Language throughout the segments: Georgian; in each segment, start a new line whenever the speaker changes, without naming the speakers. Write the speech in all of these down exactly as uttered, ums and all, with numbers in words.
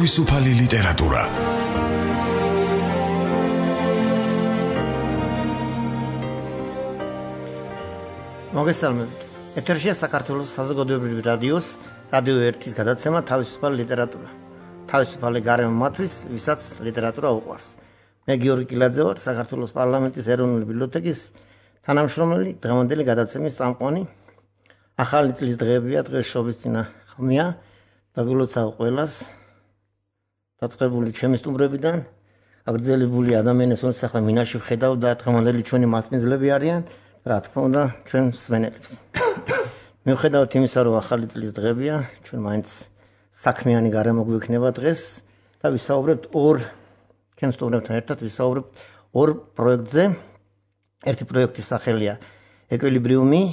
თავისუფალი ლიტერატურა.
მოგესალმებით. ეთერშია საქართველოს საზოგადოებრივი რადიოს რადიო ერთის გადაცემა თავისუფალი ლიტერატურა. თავისუფალი გარემო მათთვის, ვისაც ლიტერატურა უყვარს. მე გიორგი კილაძე ვარ, საქართველოს პარლამენტის ეროვნული ბიბლიოთეკის თანამშრომელი, დღევანდელი გადაცემის წამყვანი. ახალი წლის დღეებია, დღეს შობისწინა ხმია და გულოცავ ყველას დაწყებული ჩემი სტუმრებიდან, აგრძელებული ადამიანებს, რომელსაც ახლა მინაში ვხედავ და დღევანდელი ჩვენი მასპინძლები არიან, რა თქმა უნდა, ჩვენ მსმენელებს. მიუხედავად იმისა, რომ ახალი წლის დღეებია, ჩვენ მაინც საქმიანი გარემო გვექნება დღეს და ვისაუბრებთ ორ ჩემ სტუმრებთან ერთად ვისაუბრებთ ორ პროექტზე. ერთი პროექტის სახელია ეკვილიბრიუმი,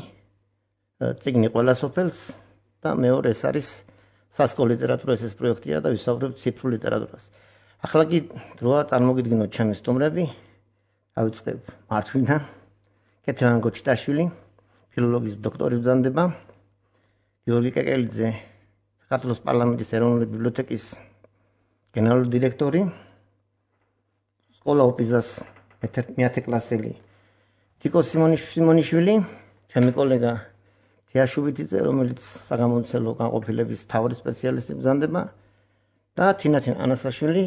წიგნი ყველა სოფელს და მეორე ეს არის სასკოლო ლიტერატურა, ეს პროექტია და ვისაუბრებთ ციფრულ ლიტერატურას. ახლა კი დროა წარმოგიდგინოთ ჩემი სტუმრები. დავიწყებ მართლიდან. კეთილან გოჩიტაშვილი, ფილოლოგიის დოქტორი ბრძანდება. გიორგი კეკელიძე, საქართველოს პარლამენტის ეროვნული ბიბლიოთეკის გენერალური დირექტორი. სკოლა ოპიზას მეათე კლასელი თიკო სიმონიშვილი, ჩემი კოლეგა თიაშუბიტიძე, რომელიც საგამომცემლო განყოფილების მთავარი სპეციალისტი ბრძანდება და თინათინ ანასაშვილი,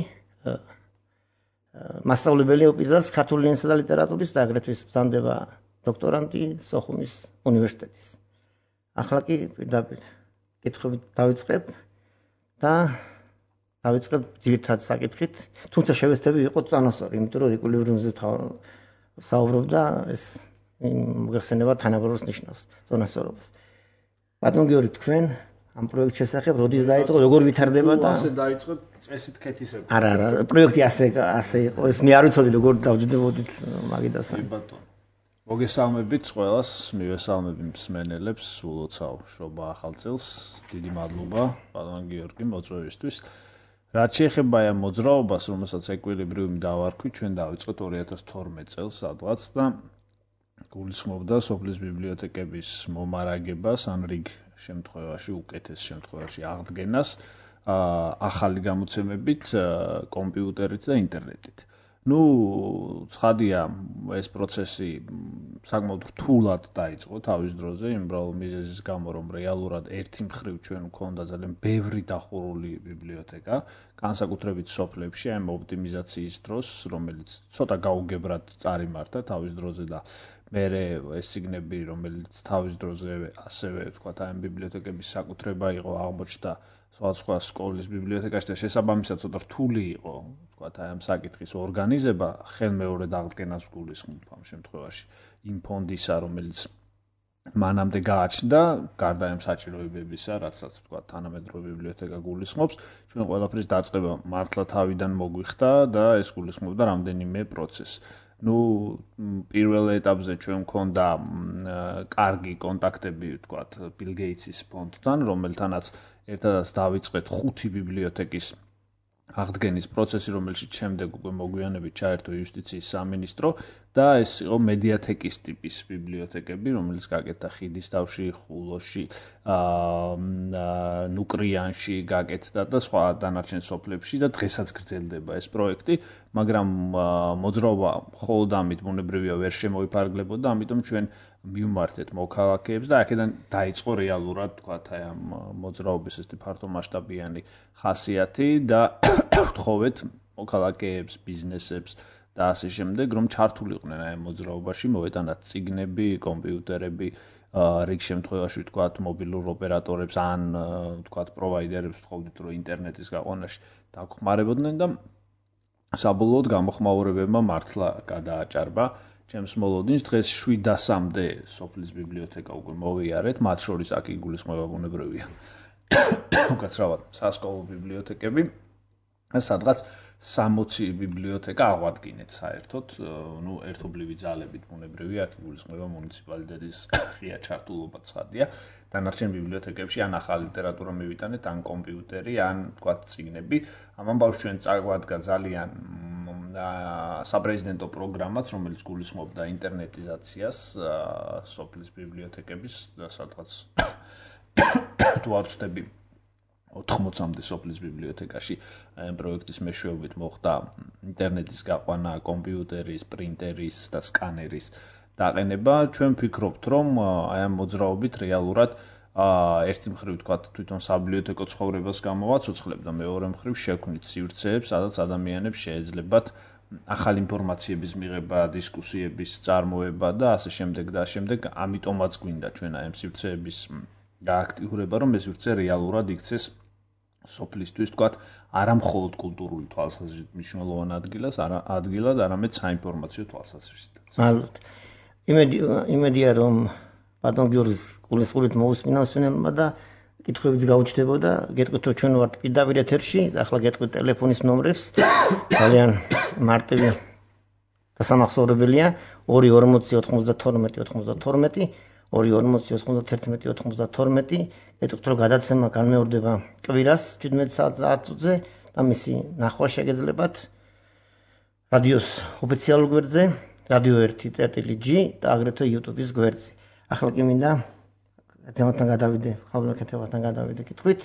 მასწავლებელი ოპიზას ქართული ენისა და ლიტერატურის და აგრეთვე ბრძანდება დოქტორანტი სოხუმის უნივერსიტეტის. ახლა კი პირდაპირ კითხვებით დავიწყებ და დავიწყებ ძირითად საკითხით, თუმცა შევეცდები ვიყოთ წონასწორი, იმიტომ რომ ეკვილიბრიუმზე საუბრობ და ეს მოგეხსენება თანაბაროს ნიშნავს წონასწორობას. ბატონ გიორგი, თქვენ ამ პროექტის შესახებ როდის დაიწყო, როგორ ვითარდება და
ასე დაიწყო წესით ქეთისება.
არა, არა, პროექტი ასე ასე იყო, ეს მე არ ვიცოდი როგორ დავჯდებოდით მაგიდასთან.
ბატონო. მოგესალმებით ყველას, მივესალმები მსმენელებს, ულოცავ შობა ახალ წელს. დიდი მადლობა ბატონ გიორგი მოწვევისთვის. რაც შეეხება ამ მოძრაობას, რომელსაც ეკვილიბრიუმი დავარქვი, ჩვენ დავიწყოთ ორი ათას თორმეტ წელს სადღაც და გულისხმობდა სოფლის ბიბლიოთეკების მომარაგებას, ან რიგ შემთხვევაში, უკეთეს შემთხვევაში აღდგენას ახალი გამოცემებით, კომპიუტერით და ინტერნეტით. ნუ ცხადია, ეს პროცესი საკმაოდ რთულად დაიწყო თავის დროზე, იმ უბრალოდ მიზეზის გამო, რომ რეალურად ერთი მხრივ ჩვენ გვქონდა ძალიან ბევრი დახურული ბიბლიოთეკა, განსაკუთრებით სოფლებში, ამ ოპტიმიზაციის დროს, რომელიც ცოტა გაუგებრად წარიმართა თავის დროზე და მე ეს ციგნები, რომელიც თავის დროზე ასევე ვთქვათ, ამ ბიბლიოთეკების საკუთრება იყო, აღმოჩნდა სხვადასხვა სკოლის ბიბლიოთეკაში და შესაბამისად ცოტა რთული იყო, ვთქვათ, ამ საკითხის ორგანიზება, ხელმეორედ აღდგენას გულისხმობ ამ შემთხვევაში იმ ფონდისა, რომელიც მანამდე გააჩნდა, გარდა ამ საჭიროებებისა, რასაც ვთქვათ, თანამედროვე ბიბლიოთეკა გულისხმობს, ჩვენ ყველაფრის დაწყება მართლა თავიდან მოგვიხდა და ეს გულისხმობდა რამდენიმე პროცესს. ნუ პირველ ეტაპზე ჩვენ მქონდა კარგი კონტაქტები, ვთქვათ, ბილ გეიტსის ფონდთან, რომელთანაც ერთადაც დავიწყეთ ხუთი ბიბლიოთეკის აღდგენის პროცესი, რომელშიც შემდეგ უკვე მოგვიანებით ჩაერთო იუსტიციის სამინისტრო და ეს იყო მედიათეკის ტიპის ბიბლიოთეკები, რომელიც გაკეთდა ხიდისთავში, ხულოში, ნუკრიანში გაკეთდა და სხვა დანარჩენ სოფლებში და დღესაც გრძელდება ეს პროექტი, მაგრამ მოძრაობა მხოლოდ ამით ბუნებრივია ვერ შემოიფარგლებოდა, ამიტომ ჩვენ მივმართეთ მოქალაქეებს და აქედან დაიწყო რეალურად, თქვათ, აი ამ მოძრაობის ეს ფართომასშტაბიანი ხასიათი და ვთხოვეთ მოქალაქეებს, ბიზნესებს და ასე შემდეგ, რომ ჩართულიყვნენ აი ამ მოძრაობაში, მოეტანათ წიგნები, კომპიუტერები, რიგ შემთხვევაში ვთქვათ, მობილურ ოპერატორებს ან ვთქვათ, პროვაიდერებს ვთხოვდით, რომ ინტერნეტის გაყვანაში დაგხმარებოდნენ და საბოლოოდ გამოხმაურებებმა მართლა გადააჭარბა ჩემს მოლოდინს. დღეს შვიდასამდე სოფლის ბიბლიოთეკა უკვე მოვიარეთ, მათ შორის აქ იგულისხმება ბუნებრივია უკაცრავად სასკოლო ბიბლიოთეკები. სადღაც სამოცი ბიბლიოთეკა აღვადგინეთ საერთოდ, ნუ ერთობლივი ძალებით ბუნებრივია, აქ იგულისხმება მუნიციპალიტეტის ღია ჩართულობა ცხადია. დანარჩენ ბიბლიოთეკებში ან ახალი ლიტერატურა მივიტანეთ, ან კომპიუტერი, ან ვთქვათ, წიგნები. ამ ამბავს ჩვენ წაგვადგა ძალიან საპრეზიდენტო პროგრამაც, რომელიც გულისხმობდა ინტერნეტიზაციას სოფლის ბიბლიოთეკების და სადღაც თუ არ ვცდები ოთხმოცამდე სოფლის ბიბლიოთეკაში ამ პროექტის მეშვეობით მოხდა ინტერნეტის გაყვანა, კომპიუტერის, პრინტერის და სკანერის დაყენება. ჩვენ ვფიქრობთ, რომ აი ამ მოძრაობით რეალურად ერთი მხრივ თქვა თვითონ საბიბლიოთეკო ცხოვრებას გამოვაცოცხლებ და მეორე მხრივ შექმნით სივრცეებს, სადაც ადამიანებს შეეძლებათ ახალი ინფორმაციების მიღება, დისკუსიების წარმოება და ასე შემდეგ და ასე შემდეგ. ამიტომაც გვინდა ჩვენ აი ამ სივრცეების გააქტიურება, რომ ეს სივრცე რეალურად იქცეს სოფლისთვის, თქვათ, არა მხოლოდ კულტურული თვალსაზრისით მნიშვნელოვან ადგილას, არა ადგილად, არამედ საინფორმაციო თვალსაზრისითაც.
მადლობთ. იმედი იმედია რომ ბატონ გიორგის გულისხმობით მოусმინა სვენელმა და კითხვებიც გაუჩნდებოდა. გეტყვით რომ ჩვენ ვართ პირდაპირ ეთერში, ახლა გეტყვით ტელეფონის ნომრებს. ძალიან მარტივი და სამახსოვრებელია ორი ორმოცი ოთხმოცდათორმეტი ოთხმოცდათორმეტი ორი ორმოცი ოცდაერთი ოცდათორმეტი. გეტყვით რომ გადაცემა განმეორდება კვირას შვიდმეტ საათზე და მისი ნახვა შეგეძლებათ რადიოს ოფიციალურ გვერდზე, რადიო ერთი წერტილი ჯი და აგრეთვე YouTube-ის გვერდზე. ახლა კი მინდა თემათან გადავიდე, ხალხურ თემათან გადავიდე კითხვით.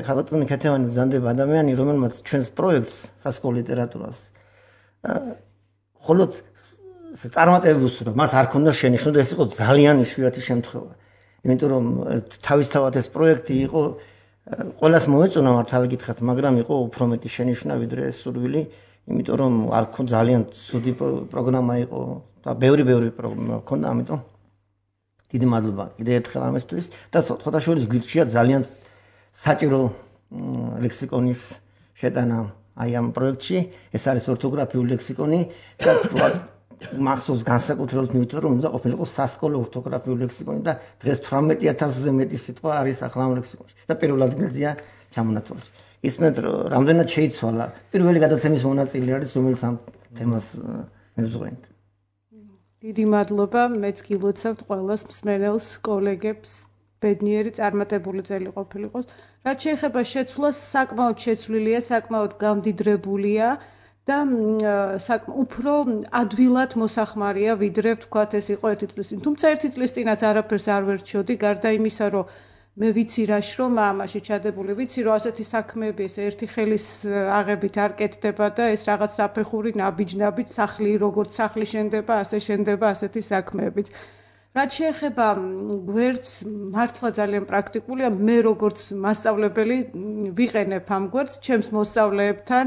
ხალხური თემანი ბრძანდება ადამიანი, რომელმაც ჩვენს პროექტს სასკოლო ლიტერატურას მხოლოდ წარმატებებს უსურვა, მას არ ქონდა შენიშვნა, ეს იყო ძალიან იშვიათი შემთხვევა. იმიტომ რომ თავისთავად ეს პროექტი იყო ყველას მოეწონა მართალი გითხრათ, მაგრამ იყო უფრო მეტი შენიშვნა ვიდრე სურვილი, იმიტომ რომ არ ქონდა ძალიან ცუდი პროგრამა იყო და ბევრი-ბევრი პროგრამა ქონდა, ამიტომ დიდი მადლობა კიდევ ერთხელ ამისთვის და სხვათა შორის გვირჩია ძალიან საჭირო ლექსიკონის შეტანა აი ამ პროექტში. ეს არის ორთოგრაფიული ლექსიკონი და თქვა მახსოვს განსაკუთრებით მივიწევ რომ უნდა ყოფილიყო სასკოლო ორთოგრაფიული ლექსიკონი და დღეს თვრამეტი ათასზე მეტი სიტყვა არის ახლა ამ ლექსიკონში და პირველ ადგილზეა ჩამონათვალს. ისმენთ რამდენად შეიცვალა პირველი გადაცემის მონაწილე არის რომელიც ამ თემას მებრძოლეთ.
დიდი მადლობა, მეც გილოცავთ ყველას მსმენელს, კოლეგებს, ბედნიერი წარმატებული წელი ყოფილიყოს. რაც შეეხება შეცვლას, საკმაოდ შეცვლილია, საკმაოდ გამდიდრებულია და უფრო ადვილად მოსახმარია ვიდრე ვთქვათ ეს იყო ერთი წლის წინ. თუმცა ერთი წლის წინაც არაფერს არ ვერჩიოდი, გარდა იმისა, რომ მე ვიცი რა შრომა ამაში ჩადებული, ვიცი რომ ასეთი საქმეები ეს ერთი ხელის აღებით არ კეთდება და ეს რაღაც საფეხური ნაბიჯ-ნაბიჯ სახლი როგორც სახლი შენდება, ასე შენდება ასეთი საქმეებიც. რაც შეეხება გვერდს, მართლა ძალიან პრაქტიკულია. მე როგორც მასწავლებელი ვიყენებ ამ გვერდს ჩემს მოსწავლეებთან,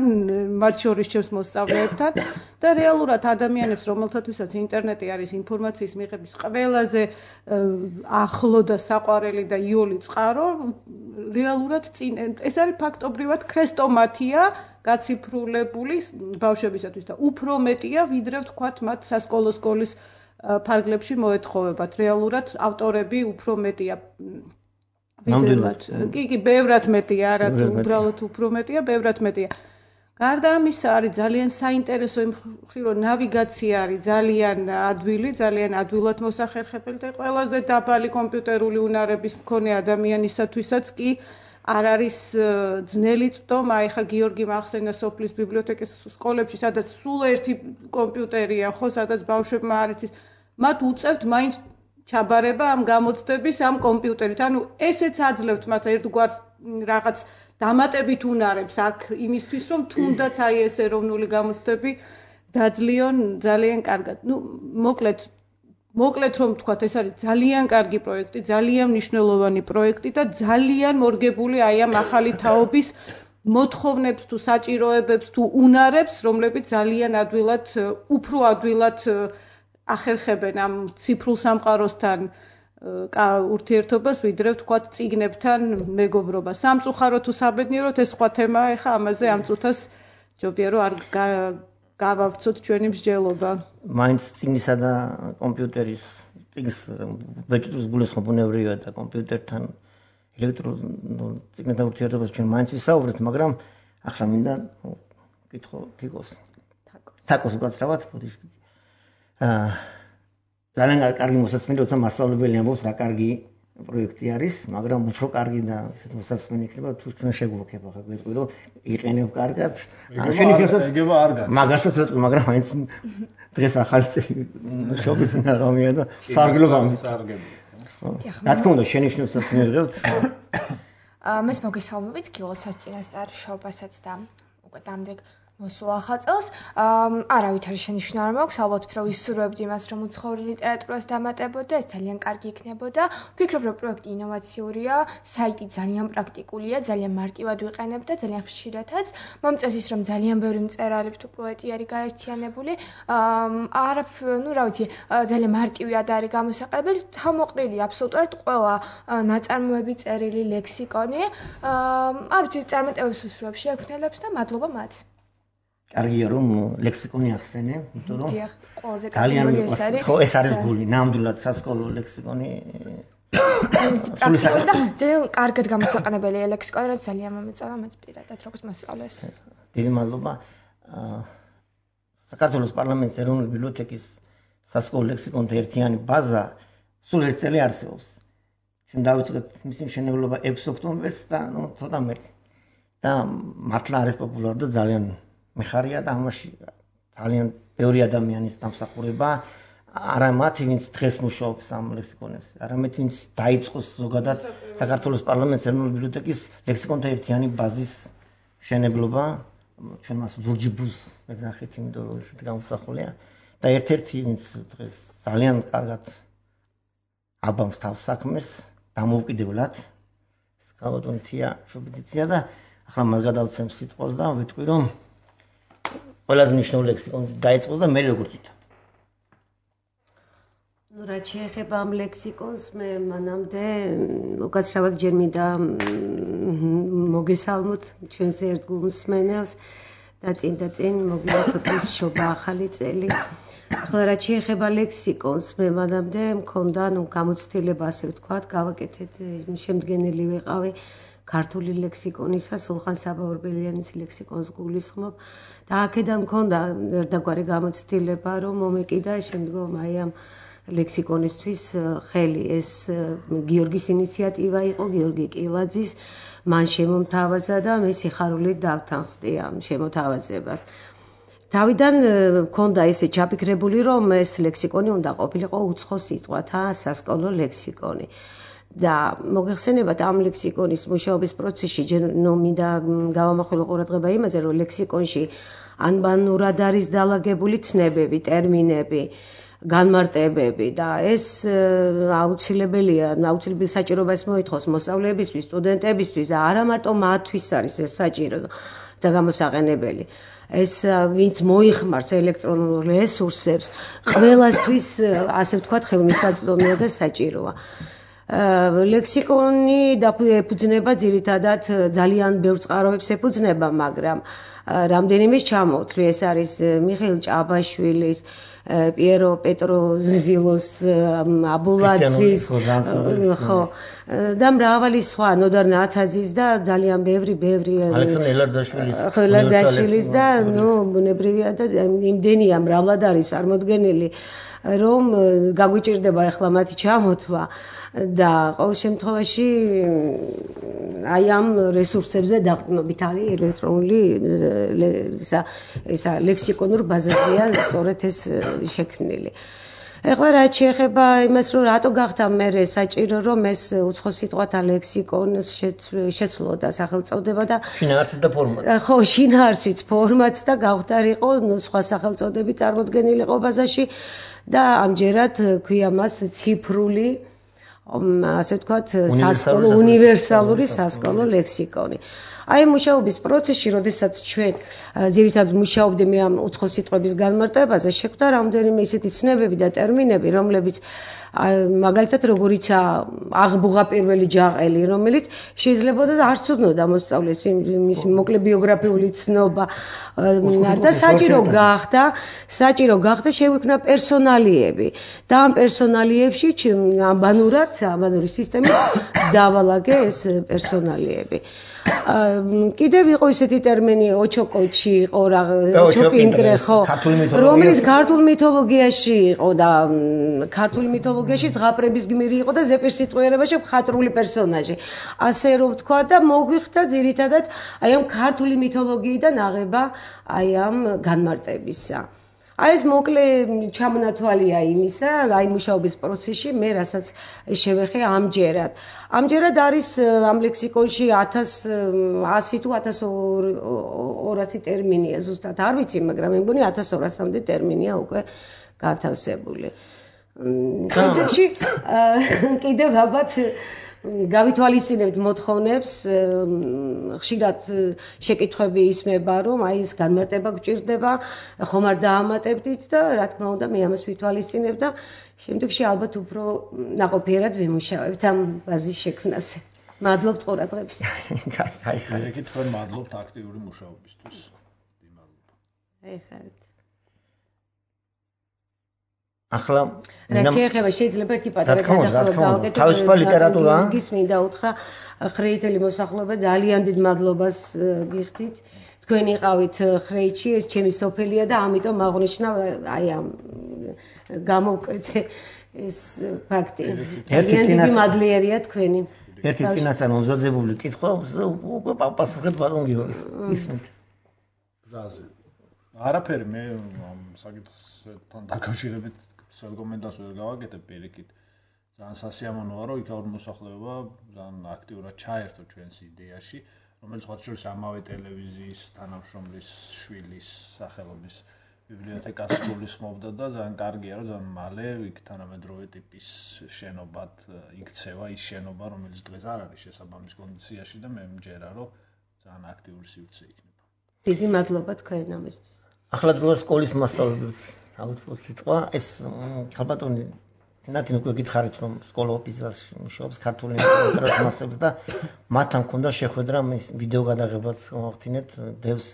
მათ შორის ჩემს მოსწავლეებთან და რეალურად ადამიანებს, რომელთათვისაც ინტერნეტი არის ინფორმაციის მიღების ყველაზე ახლო და საყვარელი და იოლი წყარო, რეალურად წინ ეს არის ფაქტობრივად ქრესტომათია გაციფრულებული ბავშვებისათვის და უფრო მეტია ვიდრე ვთქვათ მათ სასკოლო სკოლის ფარგლებში მოეთხოვებათ. რეალურად ავტორები უფრო მეტია ვიდრე კი კი ბევრად მეტია, არა თუ უბრალოდ უფრო მეტია, ბევრად მეტია. გარდა ამისა არის ძალიან საინტერესო იმ მხრივ რომ ნავიგაცია არის ძალიან ადვილი, ძალიან ადვილად მოსახერხებელი და ყველაზე დაბალი კომპიუტერული უნარების მქონე ადამიანისათვისაც კი არ არის ძნელი წვდომა. ეხლა გიორგი მახსენა სოფლის ბიბლიოთეკის სკოლებში, სადაც სულ ერთი კომპიუტერია, ხო, სადაც ბავშვებმა არ იცის, მათ უწევთ მაინც ჩაბარება ამ გამოცდების ამ კომპიუტერით. ანუ ესეც აძლევთ მათ ერთგვარ რაღაც დამატებით უნარებს აქ იმისთვის, რომ თუნდაც აი ეს ეროვნული გამოცდები დაძლიონ ძალიან კარგად. ნუ მოკლედ მოკლედ რომ ვთქვათ, ეს არის ძალიან კარგი პროექტი, ძალიან მნიშვნელოვანი პროექტი და ძალიან მორგებული აი ამ ახალი თაობის მოთხოვნებს თუ საჭიროებებს თუ უნარებს, რომლებიც ძალიან ადვილად, უფრო ადვილად ახერხებენ ამ ციფრულ სამყაროსთან ურთიერთობას, ვიდრე ვთქვათ წიგნებთან მეგობრობა. სამწუხაროდ თუ საბედნიეროდ ეს სხვა თემაა, ეხა ამაზე ამ წუთას ჯობია რომ არ გავავცოთ ჩვენი მსჯელობა.
მაინც წიგნისა და კომპიუტერის წიგნის ბეჭდვის გულისხმობა ბუნებრივია და კომპიუტერთან ელექტრონულ წიგნებთან ურთიერთობას ჩვენ მაინც ვისაუბრეთ, მაგრამ ახლა მინდა კითხო თიკოს. თაკოს უკაცრავად ბოდიშკიცი. აა ძალიან კარგი მოსასმენი, როცა მასწავლებელი ამბობს რა კარგი პროექტი არის, მაგრამ უფრო კარგი და ესეთ მოსასმენი იქნება თუ თქვენ შეგვოქებ ახლა გვეტყვი რომ იყენებ კარგად.
ანუ შეიძლება ეგება არ გაქვს.
მაგასაც ვეტყვი, მაგრამ მაინც დღეს ახალი წელი შობის ნაღამია და სარგებლობამ.
სარგებლობა.
რა თქმა უნდა, შენიშვნებსაც ნერგებთ.
მას მოგესალმებით კილოსაც წინასწარ შობასაც და უკვე დამდეგ მოსულ ახალ წელს. არავით არის შენიშვნა არ მაქვს, ალბათ უფრო ვისურვებდი იმას, რომ უცხოური ლიტერატურას დამატებოდა, ეს ძალიან კარგი იქნებოდა. ვფიქრობ, რომ პროექტი ინოვაციურია, საიტი ძალიან პრაქტიკულია, ძალიან მარტივად ვიყენებ და ძალიან ხშირადაც. მომწონს ის, რომ ძალიან ბევრი მწერალი თუ პოეტი არის გაერთიანებული. არა, ну, რა ვიცი, ძალიან მარტივად არის გამოსაყენებელი, თავმოყრილი აბსოლუტურად ყველა ნაწარმოები, წერილი, ლექსიკონი. არ ვიცი, წარმატებებს ვისურვებ შექმნელებს და მადლობა მათ.
კარგია რომ ლექსიკონი ახსენე, იმიტომ რომ
დიახ, ყველაზე კარგი ეს არის.
ხო, ეს არის გული, ნამდვილად სასკოლო ლექსიკონი.
სულ და ძალიან კარგად გამოსაყენებელია ლექსიკონი, რაც ძალიან მომეწონა მეც პირადად როგორც მოსწავლეს.
დიდი მადლობა. საქართველოს პარლამენტის ეროვნული ბიბლიოთეკის სასკოლო ლექსიკონთა ერთიანი ბაზა სულ ერთ წელი არსებობს. ჩვენ დავიწყეთ მისი მშენებლობა ექვსი ოქტომბერს და ნუ ცოტა მეტი. და მართლა არის პოპულარი და ძალიან მეხარია და ამაში ძალიან ბევრი ადამიანის დამსახურება, არა მათი, ვინც დღეს მუშაობს ამ ლექსიკონებზე, არამედ ვინც დაიწყოს ზოგადად საქართველოს პარლამენტის ეროვნული ბიბლიოთეკის ლექსიკონთა ერთიანი ბაზის მშენებლობა, ჩვენ მას ლურჯი ბუზ ვეძახით, იმიტომ რომ ესეთი გამოსახულია და ერთ-ერთი ვინც დღეს ძალიან კარგად აბამს თავს საქმეს, დამოუკიდებლად, სკავატონთია შობიდიცია და ახლა მას გადავცემ სიტყვას და ვიტყვი რომ ყველაზე მნიშვნელოვანი ლექსიკონი დაიწყოს და მე როგორ თვითონ.
ну რა შეეხება ამ ლექსიკონს მე მანამდე უკაცრავად ჯერ მინდა მოგესალმოთ ჩვენს ერთგულ მსმენელს და წინ და წინ მოგილოცოთ შობა ახალი წელი. ახლა რა შეეხება ლექსიკონს მე მანამდე მქონდა ნუ გამოცდილება ასე ვთქვათ გავაკეთეთ შემდგენელი ვიყავი ქართული ლექსიკონისა სულხან საბაურბელიანის ლექსიკონს გულისხმობ და აქედან მქონდა ერთგვარი გამოცდილება რომ მომეკიდა შემდგომ აი ამ ლექსიკონისთვის ხელი ეს გიორგის ინიციატივა იყო გიორგი კილაძის მან შემომთავაზა და მე სიხარულით დავთანხმდი ამ შემოთავაზებას თავიდან მქონდა ესე ჩაფიქრებული რომ ეს ლექსიკონი უნდა ყოფილიყო უცხო სიტყვათა სასკოლო ლექსიკონი და მოგეხსენებათ ამ ლექსიკონის მუშაობის პროცესში ნუ მინდა გავამახვილო ყურადღება იმაზე რომ ლექსიკონში ანბანურად არის დალაგებული ცნებები ტერმინები განმარტებები და ეს აუცილებელია აუცილებელი საჭიროებას მოითხოვს მოსწავლეებისთვის სტუდენტებისთვის და არა მარტო მათთვის არის ეს საჭირო და გამოსაყენებელი ეს ვინც მოიხმარს ელექტრონულ რესურსებს ყველასთვის ასე ვთქვათ ხელმისაწვდომია და საჭიროა ლექსიკონი დაფუძნება ძირითადად ძალიან ბევრ წყაროებს ეფუძნება მაგრამ რამდენიმეს ჩამოვთვლი ეს არის მიხეილ ჭაბაშვილის პიერო პეტროზილოს აბულაძის ხო და მრავალი სხვა ნოდარ ნათაძის და ძალიან ბევრი ბევრი
ალექსანდრე ელარდაშვილის
ხო ელარდაშვილის და ნუ ბუნებრივია და იმდენია მრავლად არის წარმოდგენილი რომ გაგვიჭირდება ახლა მათი ჩამოთვლა და ყოველ შემთხვევაში აი ამ რესურსებზე დაყრდნობით არის ელექტრონული ისა ისა ლექსიკონურ ბაზაზეა სწორედ ეს შექმნილი. ეხლა რა შეეხება იმას რომ რატო გახდა მე საჭირო რომ ეს უცხო სიტყვათა ლექსიკონს შეცვლოდა სახელწოდება და
შინაარსიც და ფორმატი.
ხო შინაარსიც ფორმატს და გავხდარიყო სხვა სახელწოდები წარმოდგენილიყო ბაზაში და ამჯერად ქვია მას ციფრული ასე ვთქვათ სასკოლო უნივერსალური სასკოლო ლექსიკონი. აი მუშაობის პროცესში, როდესაც ჩვენ ძირითადად მუშაობდით ამ უცხო სიტყვების განმარტებაზე, შეხვდა რამდენიმე ისეთი ცნებები და ტერმინები, რომლებიც მაგალითად როგორიცა აღბუღა პირველი ჯაყელი, რომელიც შეიძლება და არ ცუდნოდა მოსწავლეს მის მოკლე ბიოგრაფიული ცნობა და საჭირო გახდა, საჭირო გახდა შევიქმნა პერსონალიები და ამ პერსონალიებში ამბანურად, ამბანური სისტემით დავალაგე ეს პერსონალიები. კიდევ იყო ისეთი ტერმინი ოჩოკოჩი იყო რა ოჩოპინტრე ხო რომელიც ქართულ მითოლოგიაში იყო და ქართულ მითოლოგიაში ზღაპრების გმირი იყო და ზეპირსიტყვიერებაში მხატვრული პერსონაჟი ასე რომ ვთქვა და მოგვიხდა ძირითადად აი ამ ქართული მითოლოგიიდან აღება აი ამ განმარტებისა აი ეს მოკლე ჩამონათვალია იმისა, აი მუშაობის პროცესში მე რასაც შევეხე ამჯერად. ამჯერად არის ამ ლექსიკონში ათას ასი თუ ათას ორასი ტერმინია ზუსტად არ ვიცი, მაგრამ მე მგონი ათას ორასამდე ტერმინია უკვე განთავსებული. შემდეგში კიდევ ალბათ გავითვალისწინებთ მოთხოვნებს, ხშირად შეკითხვები ისმება, რომ აი ეს განმარტება გვჭირდება, ხომ არ დაამატებდით და რა თქმა უნდა მე ამას ვითვალისწინებ და შემდეგში ალბათ უფრო ნაყოფიერად ვიმუშავებთ ამ ბაზის შექმნაზე. მადლობთ ყურადღებისთვის.
აი ხარ.
მე კითხავ მადლობთ აქტიური მუშაობისთვის. მადლობა.
აი ხართ.
ახლა
რაც შეეხება შეიძლება ერთი პატარა გადახურვა გავაკეთო.
თავისუფალი ლიტერატურა.
გის მინდა უთხრა ხრეითელი მოსახლეობა ძალიან დიდ მადლობას გიხდით. თქვენ იყავით ხრეითში, ეს ჩემი სოფელია და ამიტომ აღნიშნა აი ამ გამოვკვეთე ეს ფაქტი.
ერთი წინას
მადლიერია თქვენი.
ერთი წინასწარ მომზადებული კითხვა უკვე პასუხეთ ბატონ გიორგის. ისმით.
ბრაზე. არაფერი მე ამ საკითხთან დაკავშირებით სულ კომენტარს ვერ გავაკეთებ პირიქით. ძალიან სასიამოვნოა, რომ იქაურ მოსახლეობა ძალიან აქტიურად ჩაერთო ჩვენს იდეაში, რომელიც ხოთ შორის ამავე ტელევიზიის თანამშრომლის შვილის სახელობის ბიბლიოთეკას გულისხმობდა და ძალიან კარგია, რომ ძალიან მალე იქ თანამედროვე ტიპის შენობად იქცევა ის შენობა, რომელიც დღეს არ არის შესაბამის კონდიციაში და მე მჯერა, რომ ძალიან აქტიური სივრცე იქნება.
დიდი მადლობა თქვენ ამისთვის.
ახლა დროა სკოლის მასწავლებელს აუთვო სიტყვა ეს ხალბატონი ნათინ უკვე გითხარით რომ სკოლა ოფისაში მუშაობს ქართული ლიტერატურის მასწავლებლად და მათთან მქონდა შეხვედრა მის ვიდეო გადაღებაც გავახდინეთ დევს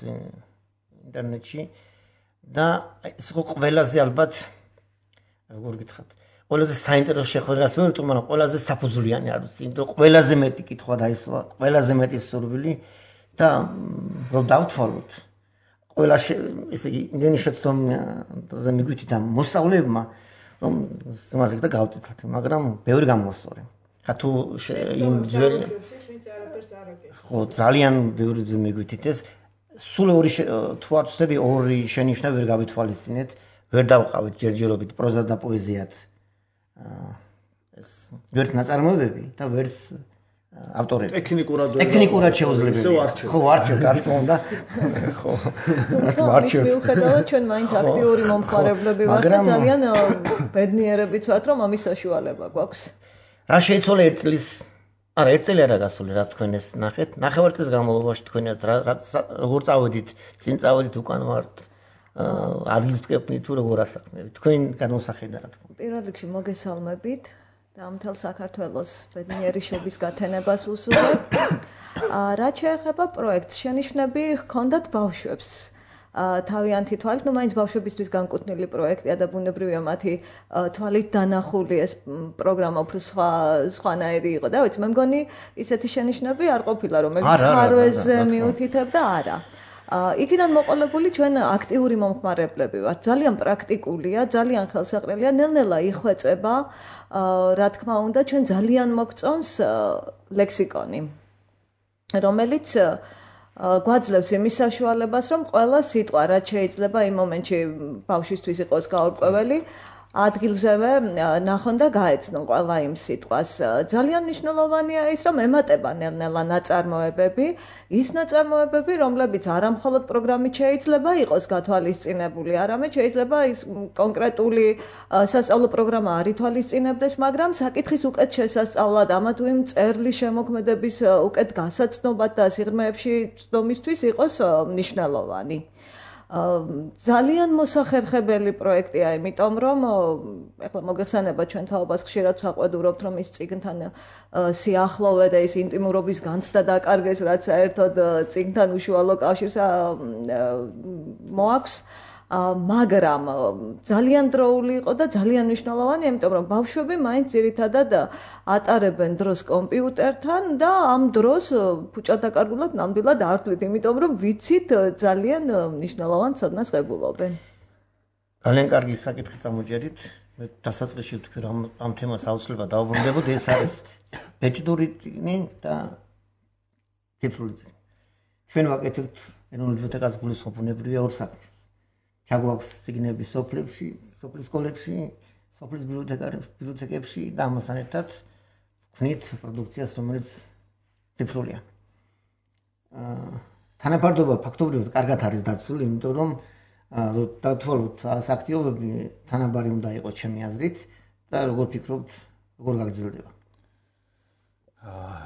ინტერნეტში და ეს იყო ყველაზე ალბათ როგორ გითხრათ ყველაზე საინტერესო შეხვედრას ვერ ვიტყვი მაგრამ ყველაზე საფუძვლიანი არ ვიცი იმიტომ ყველაზე მეტი კითხვა დაისვა ყველაზე მეტი სურვილი და რომ დავთვალოთ ყველა ესე იგი იმდენი შეცდომაზე მიგვიწით ამ მოსწავლეებმა რომ სიმართლე და გავწითათ მაგრამ ბევრი გამოსწორე. ხა თუ იმ ძველი ხო ძალიან ბევრი მიგვიწით ეს სულ ორი თუ არ ვწდები ორი შენიშვნა ვერ გავითვალისწინეთ ვერ დავყავით ჯერჯერობით პროზა და პოეზიად ეს ვერც ნაწარმოებები და ვერც ავტორები
ტექნიკურად
ტექნიკურად შეუძლებელია ხო არჩევ რა თქმა უნდა ხო
არჩევ მიუხედავად ჩვენ მაინც აქტიური მომხმარებლები ვართ და ძალიან ბედნიერებიც ვართ რომ ამის საშუალება გვაქვს
რა შეიცვალა ერთ წლის არა ერთ წელი არა გასული რა თქვენ ეს ნახეთ ნახევარ წლის განმავლობაში თქვენაც რა როგორ წავედით წინ წავედით უკან ვართ ადგილს ვტკეპნით თუ როგორ ასაქმნებით თქვენ განმოსახედა რა თქმა უნდა
პირველ რიგში მოგესალმებით და მთელ საქართველოს ბედნიერი შობის გათენებას ვუსურვებ. რაც შეეხება პროექტს, შენიშვნები ჰქონდათ ბავშვებს. თავიანთი თვალით, ну, მაინც ბავშვებისთვის განკუთვნილი პროექტია და ბუნებრივია მათი თვალით დანახული ეს პროგრამა უფრო სხვა სხვანაირი იყო და ვიცი, მე მგონი ისეთი შენიშვნები არ ყოფილა, რომელიც ხარვეზე მიუთითებდა, არა. იქიდან მოყოლებული ჩვენ აქტიური მომხმარებლები ვართ. ძალიან პრაქტიკულია, ძალიან ხელსაყრელია, ნელ-ნელა იხვეწება, რა თქმა უნდა, ჩვენ ძალიან მოგწონს ლექსიკონი, რომელიც გვაძლევს იმის საშუალებას, რომ ყველა სიტყვა, რაც შეიძლება იმ მომენტში ბავშვისთვის იყოს გაურკვეველი, ადგილზევე ნახონ და გაეცნონ ყველა იმ სიტყვას. ძალიან მნიშვნელოვანია ის, რომ ემატება ნელ-ნელა ნაწარმოებები, ის ნაწარმოებები, რომლებიც არა მხოლოდ პროგრამით შეიძლება იყოს გათვალისწინებული, არამედ შეიძლება ის კონკრეტული სასწავლო პროგრამა არ ითვალისწინებდეს, მაგრამ საკითხის უკეთ შესასწავლად, ამა თუ იმ წერლის შემოქმედების უკეთ გასაცნობად და სიღრმეებში ცდომისთვის იყოს მნიშვნელოვანი. ძალიან მოსახერხებელი პროექტია, იმიტომ რომ ეხლა მოგეხსენება ჩვენ თაობას ხშირად საყვედურობთ, რომ ის წიგნთან სიახლოვე და ის ინტიმურობის განცდა დაკარგეს, რაც საერთოდ წიგნთან უშუალო კავშირს მოაქვს, მაგრამ ძალიან დროული იყო და ძალიან მნიშვნელოვანია, იმიტომ რომ ბავშვები მაინც ძირითადად ატარებენ დროს კომპიუტერთან და ამ დროს ფუჭადაკარგულად ნამდვილად არ თვლით, იმიტომ რომ ვიცით ძალიან მნიშვნელოვან ცოდნას ღებულობენ.
ძალიან კარგი საკითხი წამოჯერით. მე დასაწყისში ვთქვი რომ ამ თემას აუცილებლად დავუბრუნდებოდ, ეს არის ბეჭდური წიგნი და ციფრული წიგნი. ჩვენ ვაკეთებთ ეროვნულ ბიბლიოთეკას გულისხმობ ბუნებრივია ორ საქმეს. ჩაგვაქვს ციგნები სოფლებში, სოფლის სკოლებში, სოფლის ბიბლიოთეკებში და ამასთან ერთად ვქნით პროდუქციას, რომელიც ციფრულია. თანაფარდობა ფაქტობრივად კარგად არის დაცული, იმიტომ რომ დავთვალოთ აქტივობები თანაბარი უნდა იყოს ჩემი აზრით და როგორ ფიქრობთ, როგორ გაგრძელდება?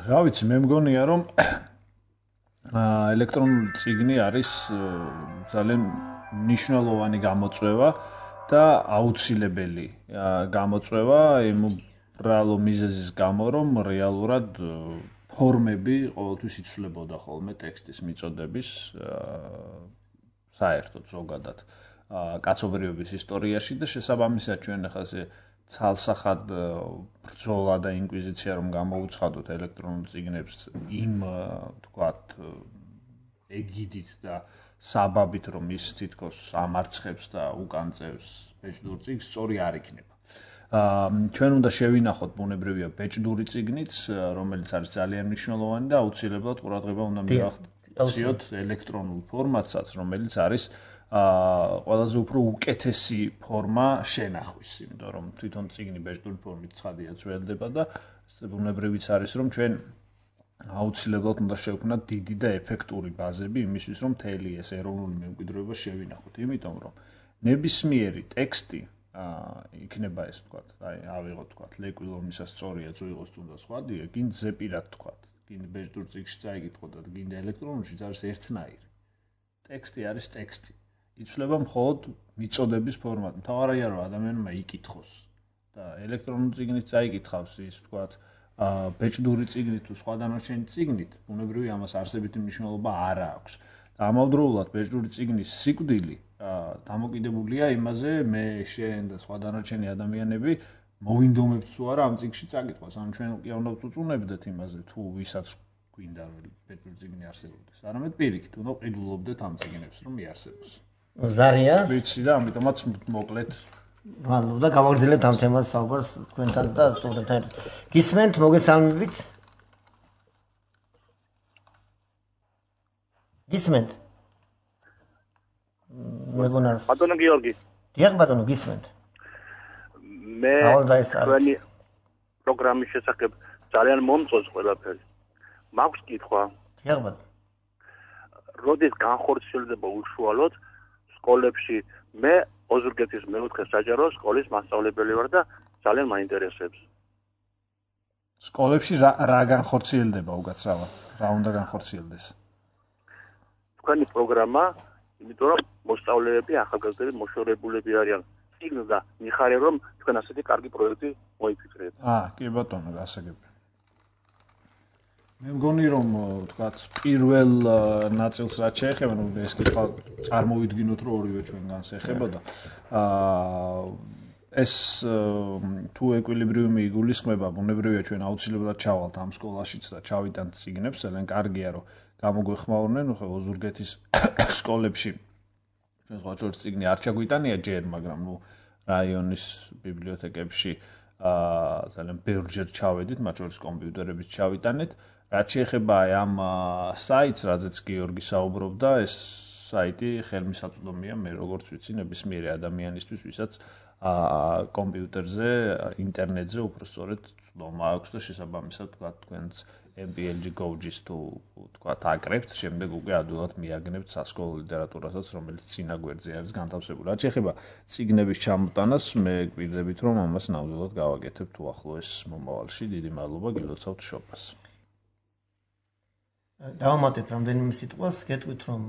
რა ვიცი, მე მგონია რომ ელექტრონული წიგნი არის ძალიან მნიშვნელოვანი გამოწვევა და აუცილებელი გამოწვევა იმ უბრალო მიზეზის გამო, რომ რეალურად ფორმები ყოველთვის იცვლებოდა ხოლმე ტექსტის მიწოდების საერთოდ ზოგადად კაცობრიობის ისტორიაში და შესაბამისად ჩვენ ახლა ეს ცალსახად ბრძოლა და ინკვიზიცია რომ გამოუცხადოთ ელექტრონულ წიგნებს იმ თქვათ ეგიდით და საბაბით რომ ის თითქოს ამარცხებს და უკანწევს ბეჭდურ წიგნს სწორი არ იქნება. ჩვენ უნდა შევინახოთ ბუნებრივია ბეჭდური წიგნიც, რომელიც არის ძალიან მნიშვნელოვანი და აუცილებლად ყურადღება უნდა მივახციოთ ელექტრონულ ფორმატსაც, რომელიც არის ყველაზე უფრო უკეთესი ფორმა შენახვის, იმიტომ რომ თვითონ წიგნი ბეჭდური ფორმით ცხადია ძველდება და ბუნებრივიც არის რომ ჩვენ აუცილებლად უნდა შევქმნათ დიდი და ეფექტური ბაზები იმისთვის რომ მთელი ეს ეროვნული მემკვიდრეობა შევინახოთ, იმიტომ რომ ნებისმიერი ტექსტი იქნება ეს თქვათ, აი ავიღოთ თქვათ, ლეკვი ლომისა სწორია ძუიღოს თუნდა სხვადია, გინდ ზეპირად თქვათ, გინდ ბეჭდურ წიგნში წაიგითხოთ და გინდ ელექტრონულში არის ერთნაირი. ტექსტი არის ტექსტი. იცვლება მხოლოდ მიწოდების ფორმატი. მთავარია რომ ადამიანმა იკითხოს და ელექტრონული წიგნით წაიკითხავს ის თქვათ, ბეჭდური წიგნით თუ სხვა დანარჩენი წიგნით, ბუნებრივია ამას არსებითი მნიშვნელობა არ აქვს. და ამავდროულად ბეჭდური წიგნის სიკვდილი დამოკიდებულია იმაზე, მე, შენ და სხვა დანარჩენი ადამიანები მოვინდომებთ თუ არა ამ წიგნში წაკითხვას. ანუ ჩვენ კი არ უნდა ვწუწუნებდეთ იმაზე, თუ ვისაც გვინდა რომ ბეჭდური წიგნი არსებობდეს. არამედ პირიქით, უნდა ვყიდულობდეთ ამ წიგნებს, რომ იარსებოს.
ზარია.
ვიცი და ამიტომაც მოკლედ
ანუ და გავაგრძელებთ ამ თემას საუბარს თქვენთან და სტუდენტთან. გისმენთ, მოგესალმებით. გისმენთ. მეგონას.
ბატონო გიორგი.
დიახ ბატონო, გისმენთ.
მე თქვენი პროგრამის შესახებ ძალიან მომწონს ყველაფერი. მაქვს კითხვა.
დიახ ბატონო.
როდის განხორციელდება უშუალოდ სკოლებში? მე ოზურგეთის მეოთხე საჯარო სკოლის მასწავლებელი ვარ და ძალიან მაინტერესებს.
სკოლებში რა რა განხორციელდება უკაცრავად? რა უნდა განხორციელდეს?
თქვენი პროგრამა, იმიტომ რომ მოსწავლეები, ახალგაზრდები, მოშორებულები არიან. წიგნს და მიხარია რომ თქვენ ასეთი კარგი პროექტი მოიფიქრეთ.
აა, კი ბატონო, გასაგები. მე მგონი რომ თქვათ პირველ ნაწილს რაც შეეხება, ნუ ეს კითხვა წარმოვიდგინოთ რომ ორივე ჩვენგანს ეხებოდა. აა ეს თუ ეკვილიბრიუმი იგულისხმება, ბუნებრივია ჩვენ აუცილებლად ჩავალთ ამ სკოლაშიც და ჩავიტანთ წიგნებს, ძალიან კარგია რომ გამოგვეხმაურნენ, ხო ოზურგეთის სკოლებში ჩვენ სხვა ჯერ წიგნი არ ჩაგვიტანია ჯერ, მაგრამ ნუ რაიონის ბიბლიოთეკებში აა ძალიან ბევრჯერ ჩავედით, მათ შორის კომპიუტერებით ჩავიტანეთ. რაც შეეხება ამ საიტს, რაზეც გიორგი საუბრობდა, ეს საიტი ხელმისაწვდომია მე როგორც ვიცი ნებისმიერი ადამიანისთვის, ვისაც კომპიუტერზე, ინტერნეტზე უბრალოდ ცდომა აქვს და შესაბამისად თქვა თქვენს M P L G Gorges თუ თქვა აკრებთ, შემდეგ უკვე ადვილად მიაგნებთ სასკოლო ლიტერატურასაც, რომელიც წინა გვერდზე არის განთავსებული. რაც შეეხება წიგნების ჩამოტანას, მე გვირდებით რომ ამას ნამდვილად გავაკეთებ თუ ახლოეს მომავალში. დიდი მადლობა, გილოცავთ შობას.
დავამატებ რამდენიმე სიტყვას, გეტყვით რომ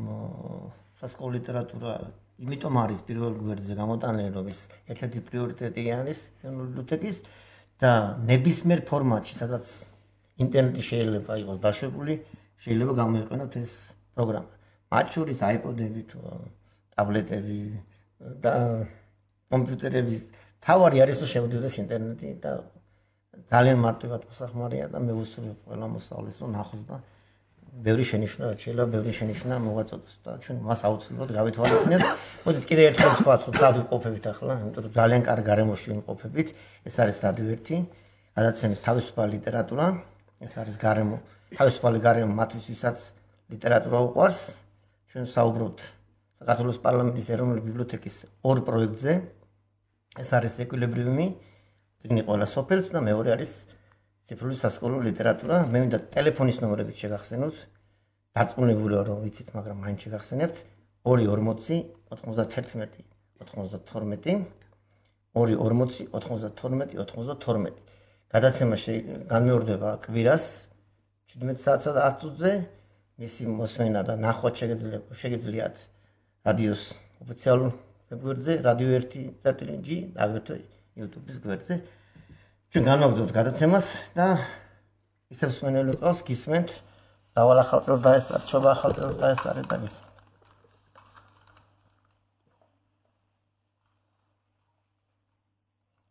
სასკოლო ლიტერატურა იმიტომ არის პირველ გვერდზე გამოტანილი, რომ ის ერთ-ერთი პრიორიტეტი არის ბიბლიოთეკის და ნებისმიერ ფორმატში, სადაც ინტერნეტი შეიძლება იყოს დაშვებული, შეიძლება გამოიყენოთ ეს პროგრამა. მათ შორის iPod-ები თუ ტაბლეტები და კომპიუტერების თავარი არის რომ შემოდიოდეს ინტერნეტი და ძალიან მარტივად მოსახმარია და მე ვუსურვებ ყველა მოსწავლეს რომ ნახოს და ბევრი შენიშვნა რაც შეიძლება ბევრი შენიშვნა მოვაწოდოს და ჩვენ მას აუცილებლად გავითვალისწინებთ. მოდით კიდე ერთხელ ვთქვათ რომ სად ვიყოფებით ახლა, იმიტომ რომ ძალიან კარგ გარემოში ვიმყოფებით. ეს არის რადიო ერთი, გადაცემის თავისუფალი ლიტერატურა. ეს არის გარემო, თავისუფალი გარემო მათთვის, ვისაც ლიტერატურა უყვარს. ჩვენ საუბრობთ საქართველოს პარლამენტის ეროვნული ბიბლიოთეკის ორ პროექტზე. ეს არის ეკვილიბრიუმი, წიგნი ყველა სოფელს და მეორე არის ციფრული სასკოლო ლიტერატურა. მე მინდა ტელეფონის ნომრებით შეგახსენოთ. დარწმუნებულია რომ ვიცით, მაგრამ მაინც შეგახსენებთ. ორი ორმოცი ოთხმოცდათერთმეტი ოცდათორმეტი ორი ორმოცი ოთხმოცდათორმეტი ოცდათორმეტი. გადაცემა განმეორდება კვირას შვიდმეტ საათსა და ათ წუთზე. მისი მოსმენა და ნახვა შეგიძლიათ რადიოს ოფიციალურ ვებგვერდზე რადიო ერთი წერტილი და აგრეთვე YouTube-ის გვერდზე. ჩვენ განვაგრძობთ გადაცემას და ისევ მსმენელი ყავს გისმენთ დავალ ახალწელს დაესწარეთ, შობა ახალწელს დაესწარეთ და გისმენთ.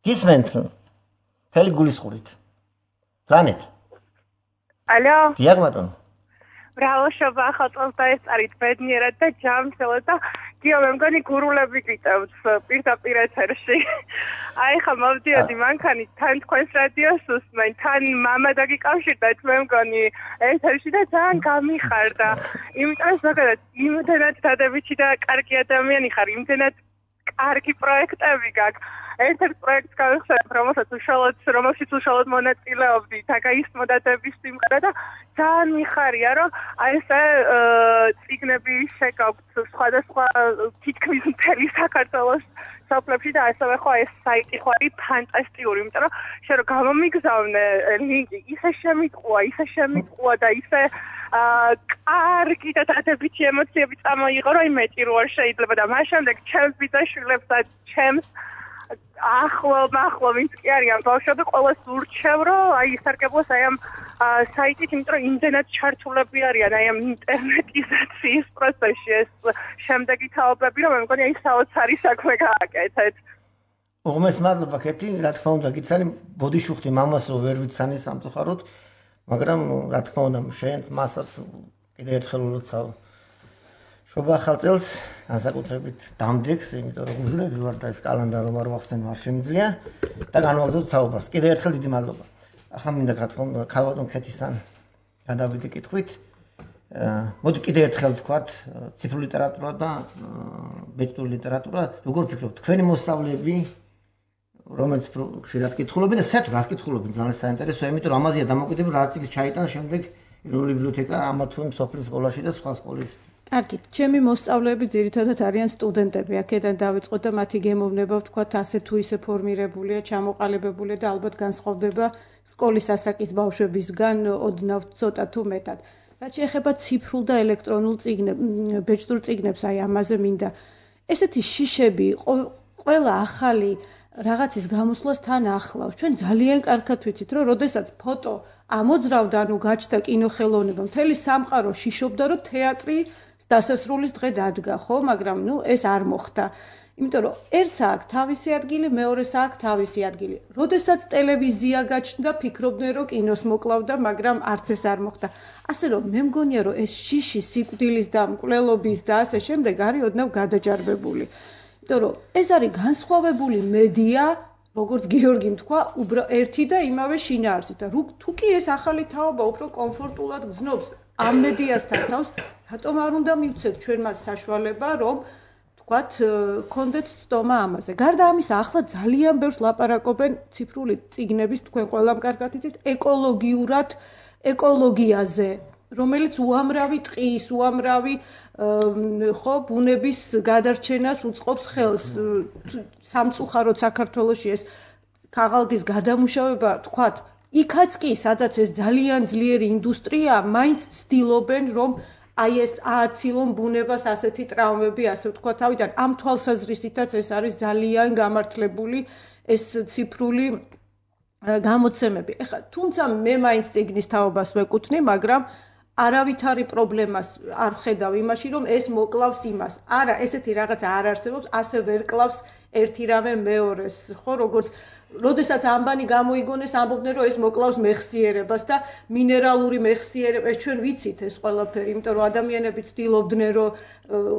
გისმენთ თელი გულისხმობით. ზანეთ.
ალო.
დიახ ბატონო.
ბრავო, შობა ახალწელს დაესწარით ბედნიერად და ჯამშელად და გიო მე მგონი გურულები გიწევთ პირდაპირ ეთერში. აი ხა მოვდიოდი მანქანი თან თქვენს რადიოს უსმენ, თან მამა დაგიკავშირდათ მე მგონი ეთერში და ძალიან გამიხარდა. იმიტომ ზოგადად იმდენად დადებითი და კარგი ადამიანი ხარ, იმდენად კარგი პროექტები გაქვს. ერთ-ერთ პროექტს გავიხსენებ, რომელსაც უშუალოდ რომელშიც უშუალოდ მონაწილეობდი და გაისმოდადების სიმღერა და ძალიან მიხარია, რომ აი ესე წიგნები შეგაქვთ სხვადასხვა თითქმის მთელი საქართველოს სოფლებში და ასევე ხო ეს საიტი ხო არის ფანტასტიკური, იმიტომ რომ შენ რომ გამომიგზავნე ლინკი, ისე შემიტყუა, ისე შემიტყუა და ისე კარგი და დადებითი ემოციები წამოიღო, რომ იმეჭი რო არ შეიძლება და მას შემდეგ ჩემს ბიძაშვილებს და ჩემს ახლო მახლო ვინც კი არიან ბავშვები ყველას ურჩევ რომ აი ისარგებლოს აი ამ საიტით, იმიტომ რომ იმდენად ჩართულები არიან აი ამ ინტერნეტიზაციის პროცესში ეს შემდეგი თაობები, რომ მე მგონი აი საოცარი საქმე გააკეთეთ.
უღმეს მადლობა ქეთი, რა თქმა უნდა გიცანი ბოდიშუხტი მამას რო ვერ ვიცანი სამწუხაროდ, მაგრამ რა თქმა უნდა შენც მასაც კიდევ ერთხელ ულოცავ შობა ახალწელს განსაკუთრებით დამდეგს, იმიტომ რომ გულები ვარ და ეს კალენდარი რომ არ ვახსენე არ შემიძლია და განვაგრძობ საუბარს. კიდევ ერთხელ დიდი მადლობა. ახლა მინდა გათქვა ქალბატონ ქეთისთან გადავიდე კითხვით. მოდი კიდევ ერთხელ ვთქვათ, ციფრული ლიტერატურა და ბეჭდური ლიტერატურა, როგორ ფიქრობთ, თქვენი მოსწავლეები რომელიც ხშირად კითხულობენ და საერთოდ რას კითხულობენ ძალიან საინტერესოა, იმიტომ რომ ამაზეა დამოკიდებული რა წიგნს ჩაიტან შემდეგ ეროვნული ბიბლიოთეკა ამა თუ იმ სოფლის სკოლაში და სხვა სკოლებში.
კარგით, ჩემი მოსწავლეები ძირითადად არიან სტუდენტები. აქედან დავიწყოთ და მათი გემოვნება ვთქვათ ასე თუ ისე ფორმირებულია, ჩამოყალიბებულია და ალბათ განსხვავდება სკოლის ასაკის ბავშვებისგან ოდნავ ცოტა თუ მეტად. რაც შეეხება ციფრულ და ელექტრონულ წიგნებს, ბეჭდურ წიგნებს, აი ამაზე მინდა. ესეთი შიშები ყველა ახალი რაღაცის გამოსვლას თან ახლავს. ჩვენ ძალიან კარგად ვიცით, რომ როდესაც ფოტო ამოძრავდა, ანუ გაჩნდა კინოხელოვნება, მთელი სამყარო შიშობდა, რომ თეატრი დასასრულის დღე დადგა, ხო, მაგრამ ნუ ეს არ მოხდა. იმიტომ რომ ერთს აქვს თავისი ადგილი, მეორეს აქვს თავისი ადგილი. როდესაც ტელევიზია გაჩნდა, ფიქრობდნენ, რომ კინოს მოკლავდა, მაგრამ არც ეს არ მოხდა. ასე რომ მე მგონია, რომ ეს შიში სიკვდილის და მკვლელობის და ასე შემდეგ არის ოდნავ გადაჯარბებული. იმიტომ რომ ეს არის განსხვავებული მედია, როგორც გიორგიმ თქვა, ერთი და იმავე შინაარსით და თუ კი ეს ახალი თაობა უფრო კომფორტულად გრძნობს ამ მედიასთან თავს, რატომ არ უნდა მივცეთ ჩვენ მას საშუალება, რომ თქვათ, გქონდეთ ცდომა ამაზე. გარდა ამისა, ახლა ძალიან ბევრს ლაპარაკობენ ციფრული წიგნების, თქვენ ყველამ კარგად იცით, ეკოლოგიურად, ეკოლოგიაზე, რომელიც უამრავი ტყის, უამრავი ხო, ბუნების გადარჩენას უწყობს ხელს. სამწუხაროდ საქართველოში ეს ქაღალდის გადამუშავება, თქვათ, იქაც კი, სადაც ეს ძალიან ძლიერი ინდუსტრია, მაინც ცდილობენ, რომ აი ეს ააცილონ ბუნებას ასეთი ტრავმები, ასე ვთქვა თავიდან. ამ თვალსაზრისითაც ეს არის ძალიან გამართლებული ეს ციფრული გამოცემები. ეხლა თუმცა მე მაინც წიგნის თაობას ვეკუთვნი, მაგრამ არავითარი პრობლემას არ ხედავ იმაში, რომ ეს მოკლავს იმას. არა, ესეთი რაღაცა არ არსებობს, ასე ვერ კლავს ერთი რამე მეორეს, ხო, როგორც როდესაც ამბანი გამოიგონეს, ამბობდნენ, რომ ეს მოკლავს მეხსიერებას და მინერალური მეხსიერება, ეს ჩვენ ვიცით ეს ყველაფერი, იმიტომ რომ ადამიანები ცდილობდნენ, რომ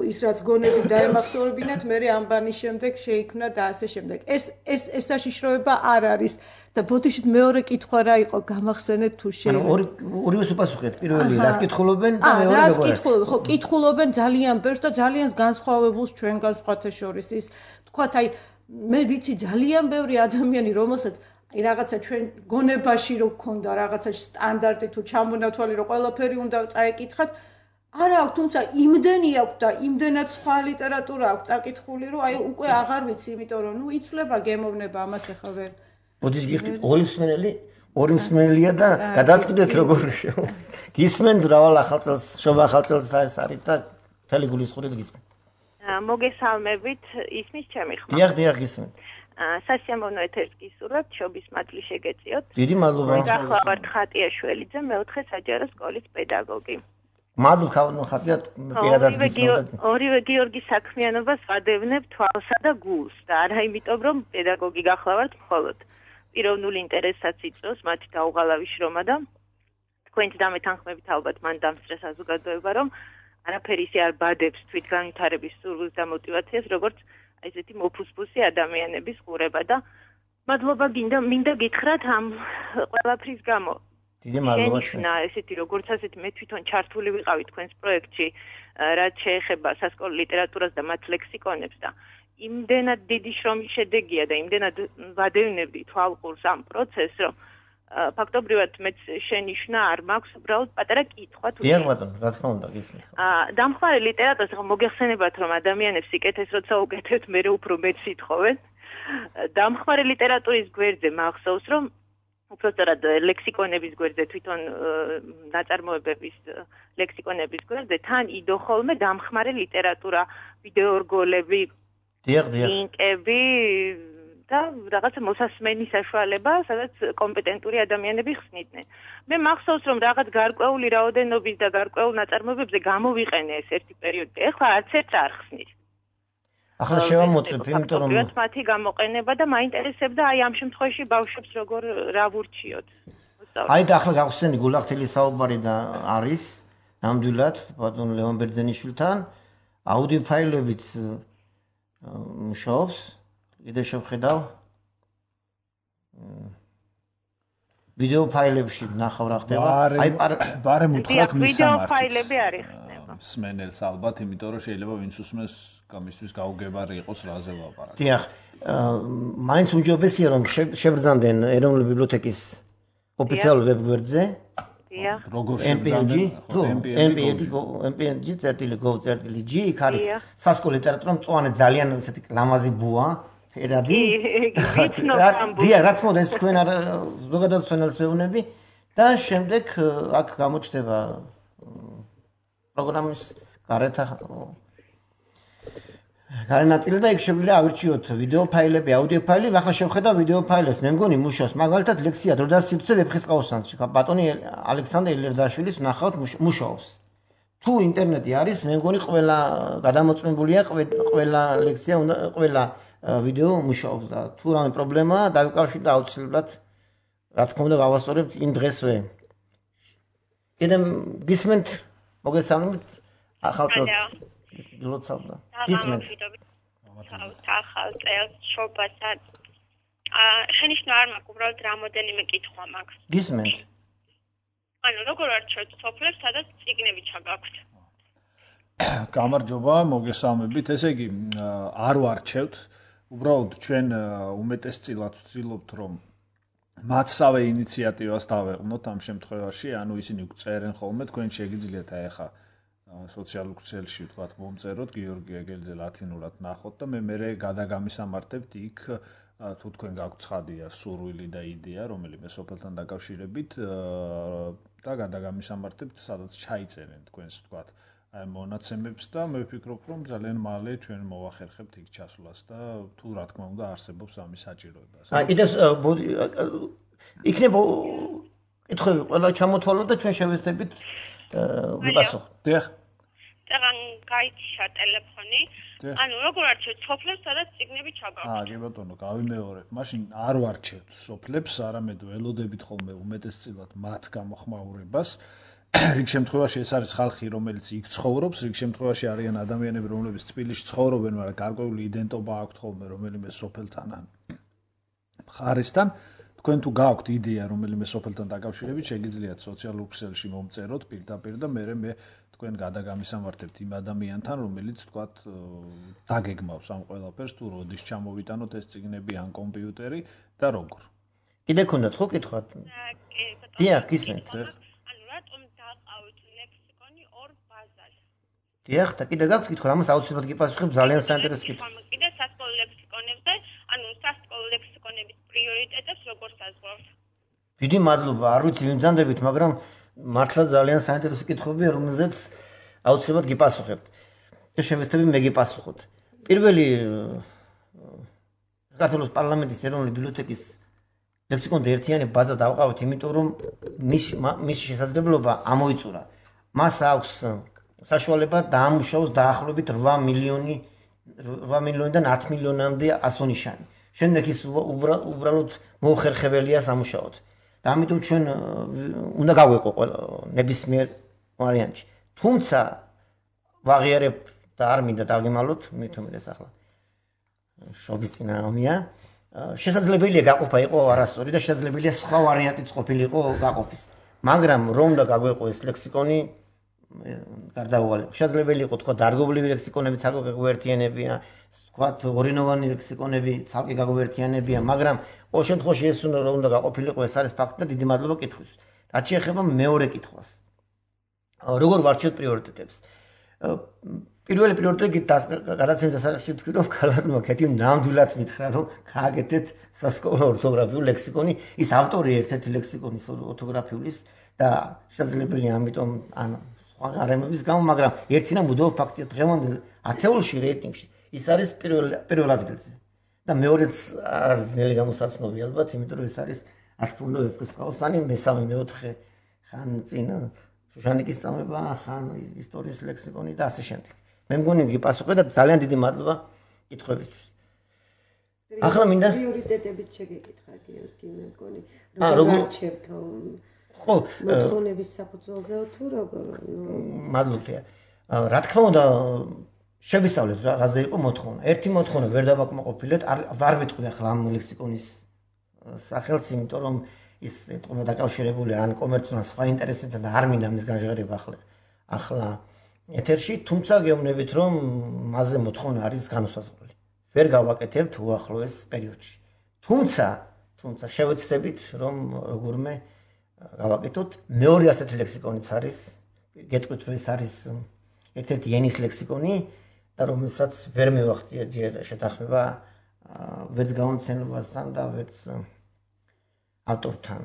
ის რაც გონებით დაემახსოვრებინათ, მე ამბანის შემდეგ შეიქმნა და ასე შემდეგ. ეს ეს ეს საშიშროება არ არის და ბოდიშით მეორე კითხვა რა იყო, გამახსენეთ თუ შეიძლება.
ანუ ორი ორივეს უპასუხეთ, პირველი რას კითხულობენ და მეორე
რას კითხულობენ? ხო, კითხულობენ ძალიან ბევრს და ძალიან განსხვავებულს ჩვენგან სხვათა შორის ის თქვათ, აი მე ვიცი ძალიან ბევრი ადამიანი, რომელსაც აი რაღაცა ჩვენ გონებაში რო გქონდა რაღაცა სტანდარტი თუ ჩამონათვალი რო ყველაფერი უნდა წაეკითხათ, არა აქვს, თუმცა იმდენი აქვს და იმდენად სხვა ლიტერატურა აქვს წაკითხული, რომ აი უკვე აღარ ვიცი, იმიტომ რომ ნუ იცვლება გემოვნება ამას ახლა ვერ.
ბოდიშ გიხდით ორი მსმენელი, ორი მსმენელია და გადაწყვეტეთ როგორ გისმენთ რავალ ახალწელს, შობა ახალწელს და ეს არის და მთელი გულისხმობით გისმენთ.
მოგესალმებით, ისმის ჩემი ხმა.
დიახ, დიახ, გისმენთ.
სასიამოვნო ეთერს გისურვებთ, შობის მადლი შეგეწიოთ.
დიდი მადლობა.
გახლავართ ხატიაშვილიძე, მეოთხე საჯარო სკოლის პედაგოგი.
მადლობა ქავნო ხატია პირადად გისმენთ.
ორივე გიორგის საქმიანობას ვადევნებ თვალსა და გულს და არა იმიტომ, რომ პედაგოგი გახლავართ მხოლოდ. პიროვნული ინტერესაც იწვევს მათი დაუღალავი შრომა და თქვენით დამეთანხმებით ალბათ მან დამსწრე საზოგადოება, რომ არაფერი ისე არ ბადებს თვითგანვითარების სურვილს და мотивაციას, როგორც აი ესეთი მოფუსფუსი ადამიანების ყურება და მადლობა გინდა მინდა გითხრათ ამ ყველაფრის გამო.
დიდი მადლობა
ჩვენს. ესეთი როგორც ასეთი მე თვითონ ჩართული ვიყავი თქვენს პროექტში, რაც შეეხება სასკოლო ლიტერატურას და მათ ლექსიკონებს და იმდენად დიდი შრომის შედეგია და იმდენად ვადევნებდი თვალყურს ამ პროცესს, რომ ფაქტობრივად მეც შენიშვნა არ მაქვს, უბრალოდ პატარა კითხვა თუ
დიახ ბატონო, რა თქმა უნდა, გისმენთ.
აა დამხმარე ლიტერატურას ხო მოგეხსენებათ, რომ ადამიანებს სიკეთეს როცა უკეთებთ, მე უფრო მეც ითხოვენ. დამხმარე ლიტერატურის გვერდზე მახსოვს, რომ უბრალოდ ლექსიკონების გვერდზე თვითონ ნაწარმოებების ლექსიკონების გვერდზე თან იდო ხოლმე დამხმარე ლიტერატურა, ვიდეორგოლები,
დიახ, დიახ.
ლინკები და რაღაცა მოსასმენის საშუალება, სადაც კომპეტენტური ადამიანები ხსნიდნენ. მე მახსოვს, რომ რაღაც გარკვეული რაოდენობის და გარკვეულ ნაწარმოებებზე გამოვიყენე ეს ერთი პერიოდი. ეხლა არც ერთ არ ხსნის.
ახლა შევამოწმებ, იმიტომ რომ
მათი გამოყენება და მაინტერესებდა აი ამ შემთხვევაში ბავშვებს როგორ რა ვურჩიოთ.
აი და ახლა გავხსენი გულახთილის საუბარი და არის ნამდვილად ბატონ ლევან ბერძენიშვილთან აუდიო ფაილებიც მუშაობს. კიდე შევხედავ ვიდეო ფაილებში ნახავ რა ხდება.
აი ბარემ უთხრათ მის სამართლს.
ვიდეო ფაილები არ იხსნება.
მსმენელს ალბათ, იმიტომ რომ შეიძლება ვინც უსმენს გამისთვის გაუგებარი იყოს რაზე ვაპარაკო.
დიახ, მაინც უმჯობესია რომ შებრძანდნენ ეროვნული ბიბლიოთეკის ოფიციალურ ვებგვერდზე.
დიახ.
როგორ შებრძანდნენ?
ემ პი ენ ჯი წერტილი გოვ წერტილი ჯი იქ არის სასკოლო ლიტერატურა მწვანე ძალიან ესეთი ლამაზი ბუა. ერადი დიახ, რაც მოდი ეს თქვენ არ ზოგადად თქვენს ვეუბნები და შემდეგ აქ გამოჩნდება პროგრამის გარეთ გარენაწილი და იქ შეგვიძლია ავირჩიოთ ვიდეო ფაილები, აუდიო ფაილები. ახლა შევხედავ ვიდეო ფაილებს, მე მგონი მუშაობს. მაგალითად ლექსია დრო და სივრცე ვეფხისტყაოსანში. ბატონი ალექსანდრე ელერდაშვილის ნახავთ მუშაობს. თუ ინტერნეტი არის, მე მგონი ყველა გადამოწმებულია, ყველა ლექცია, ყველა ვიდეო მუშაობს და თუ რამე პრობლემაა, დავიკავშირდეთ და აუცილებლად რა თქმა უნდა გავასწორებთ იმ დღესვე. კიდე გისმენთ, მოგესალმებით ახალწელს გილოცავდა. გისმენთ.
ახალწელს შობასაც აა შენიშნა არ მაქვს, უბრალოდ რამოდენიმე კითხვა მაქვს.
გისმენთ.
ანუ როგორ არჩევთ სოფლებს, სადაც წიგნები ჩაგაქვთ?
გამარჯობა, მოგესალმებით. ესე იგი, არ ვარჩევთ. უბრალოდ ჩვენ უმეტესწილად ვცდილობთ, რომ მათსავე ინიციატივას დავეყნოთ ამ შემთხვევაში, ანუ ისინი წერენ ხოლმე, თქვენ შეგიძლიათ აი ახლა სოციალურ ქსელში ვთქვათ, მომწეროთ გიორგი ეგელიძე ლათინურად ნახოთ და მე მერე გადაგამისამართებთ იქ თუ თქვენ გაქვთ ცხადია სურვილი და იდეა, რომელიმე სოფელთან დაკავშირებით და გადაგამისამართებთ, სადაც ჩაიწერენ თქვენს ვთქვათ აი მონაცემებს და მე ვფიქრობ, რომ ძალიან მალე ჩვენ მოვახერხებთ იქ ჩასვლას და თუ რა თქმა უნდა არსებობს ამის საჭიროება.
აი კიდე იქნება კითხვები ყველა ჩამოთვალოთ და ჩვენ შევეცდებით ვიპასუხოთ.
დიახ.
თან გაიჩა ტელეფონი. ანუ როგორ არჩევთ სოფლებს, სადაც წიგნები ჩაგავთ?
აა, კი ბატონო, გავიმეორებ. მაშინ არ ვარჩევთ სოფლებს, არამედ ველოდებით ხოლმე უმეტესწილად მათ გამოხმაურებას. რიგ შემთხვევაში ეს არის ხალხი, რომელიც იქ ცხოვრობს, რიგ შემთხვევაში არიან ადამიანები, რომლებიც თბილისში ცხოვრობენ, მაგრამ გარკვეული იდენტობა აქვთ ხოლმე რომელიმე სოფელთან ან მხარესთან. თქვენ თუ გაქვთ იდეა რომელიმე სოფელთან დაკავშირებით, შეგიძლიათ სოციალურ ქსელში მომწეროთ პირდაპირ და მე მე თქვენ გადაგამისამართებთ იმ ადამიანთან, რომელიც თქვათ დაგეგმავს ამ ყველაფერს, თუ როდის ჩამოვიტანოთ ეს წიგნები ან კომპიუტერი და როგორ.
კიდე ქონდათ ხო კითხვა? დიახ, გისმენთ.
ანუ რატომ დაყავთ ლექსიკონი ორ ბაზაში?
დიახ, და კიდე გაქვთ კითხვა, ამას აუცილებლად გიპასუხებ, ძალიან საინტერესო კითხვა.
კიდე სასკოლო ლექსიკონებზე, ანუ სასკოლო ლექსიკონების პრიორიტეტებს როგორ საზღვრავთ?
დიდი მადლობა, არ ვიცი ვიმძანდებით, მაგრამ მართლა ძალიან საინტერესო კითხვებია, რომელზეც აუცილებლად გიპასუხებ. და შევეცდები მე გიპასუხოთ. პირველი საქართველოს პარლამენტის ეროვნული ბიბლიოთეკის ლექსიკონზე ერთიანი ბაზა დავყავთ, იმიტომ რომ მის მის შესაძლებლობა ამოიწურა. მას აქვს საშუალება დაამუშავოს დაახლოებით რვა მილიონი რვა მილიონიდან ათ მილიონამდე ასონიშანი. შემდეგ ის უბრალოდ მოუხერხებელია სამუშაოდ. და ამიტომ ჩვენ უნდა გავეყო ნებისმიერ ვარიანტში. თუმცა ვაღიარებ და არ მინდა დავიმალოთ, მithomდეს ახლა. შობის წინააღმია. შესაძლებელია გაყოფა იყო არასწორი და შესაძლებელია სხვა ვარიანტიც ყოფილიყო გაყოფის. მაგრამ რომ და გაგვეყო ეს ლექსიკონი გარდაუვალე. შესაძლებელი იყო თქვა დარგობლივი ლექსიკონები ცალკე გაგვერთიანებია, თქვა ორინოვანი ლექსიკონები ცალკე გაგვერთიანებია, მაგრამ ყოველ შემთხვევაში ეს უნდა გაყოფილიყო, ეს არის ფაქტი და დიდი მადლობა კითხვის. რაც შეეხება მეორე კითხვას. როგორ ვარჩევთ პრიორიტეტებს? პირველი პრიორიტეტი გადაცემის დასაწყისში თქვი რომ ქალბატონმა კეთილ ნამდვილად მითხრა რომ გააკეთეთ სასკოლო ორთოგრაფიული ლექსიკონი, ის ავტორი ერთ-ერთი ლექსიკონის ორთოგრაფიulis და შესაძლებელია ამიტომ ან სხვა გარემოების გამო, მაგრამ ერთი და მუდმივ ფაქტია დღევანდელ ათეულში რეიტინგში ის არის პირველ პირველ ადგილზე. და მეორეც არის ძნელი გამოსაცნობი ალბათ, იმიტომ რომ ეს არის არ თქმა უნდა ვეფხისტყაოსანი, მესამე მეოთხე ხან წინ შუშანიკის წამება, ხან ისტორიის ლექსიკონი და ასე შემდეგ. მე მგონი გიპასუხე და ძალიან დიდი მადლობა კითხვებისთვის. ახლა მინდა
პრიორიტეტებით შეგეკითხა გიორგი, მე მგონი როგორ არჩევთ ხო მოთხოვნების საფუძველზე თუ როგორ?
მადლობია. რა თქმა უნდა შევისწავლეთ რაზე იყო მოთხოვნა. ერთი მოთხოვნა ვერ დავაკმაყოფილეთ, არ ვიტყვი ახლა ამ ლექსიკონის სახელს, იმიტომ რომ ის ეთყობა დაკავშირებული ან კომერციულ სხვა ინტერესებთან და არ მინდა მის განჟღერება ახლა. ახლა ეთერში, თუმცა გეუბნებით რომ მასზე მოთხოვნა არის განუსაზღვრელი. ვერ გავაკეთებთ უახლოეს პერიოდში. თუმცა, თუმცა შევეცდებით რომ როგორმე გავაკეთოთ. მეორე ასეთი ლექსიკონიც არის, გეტყვით რომ ეს არის ერთ-ერთი ენის ლექსიკონი და რომელსაც ვერ მივახციე ჯერ შეთანხმება ვერც გამომცემლებასთან და ვერც ავტორთან.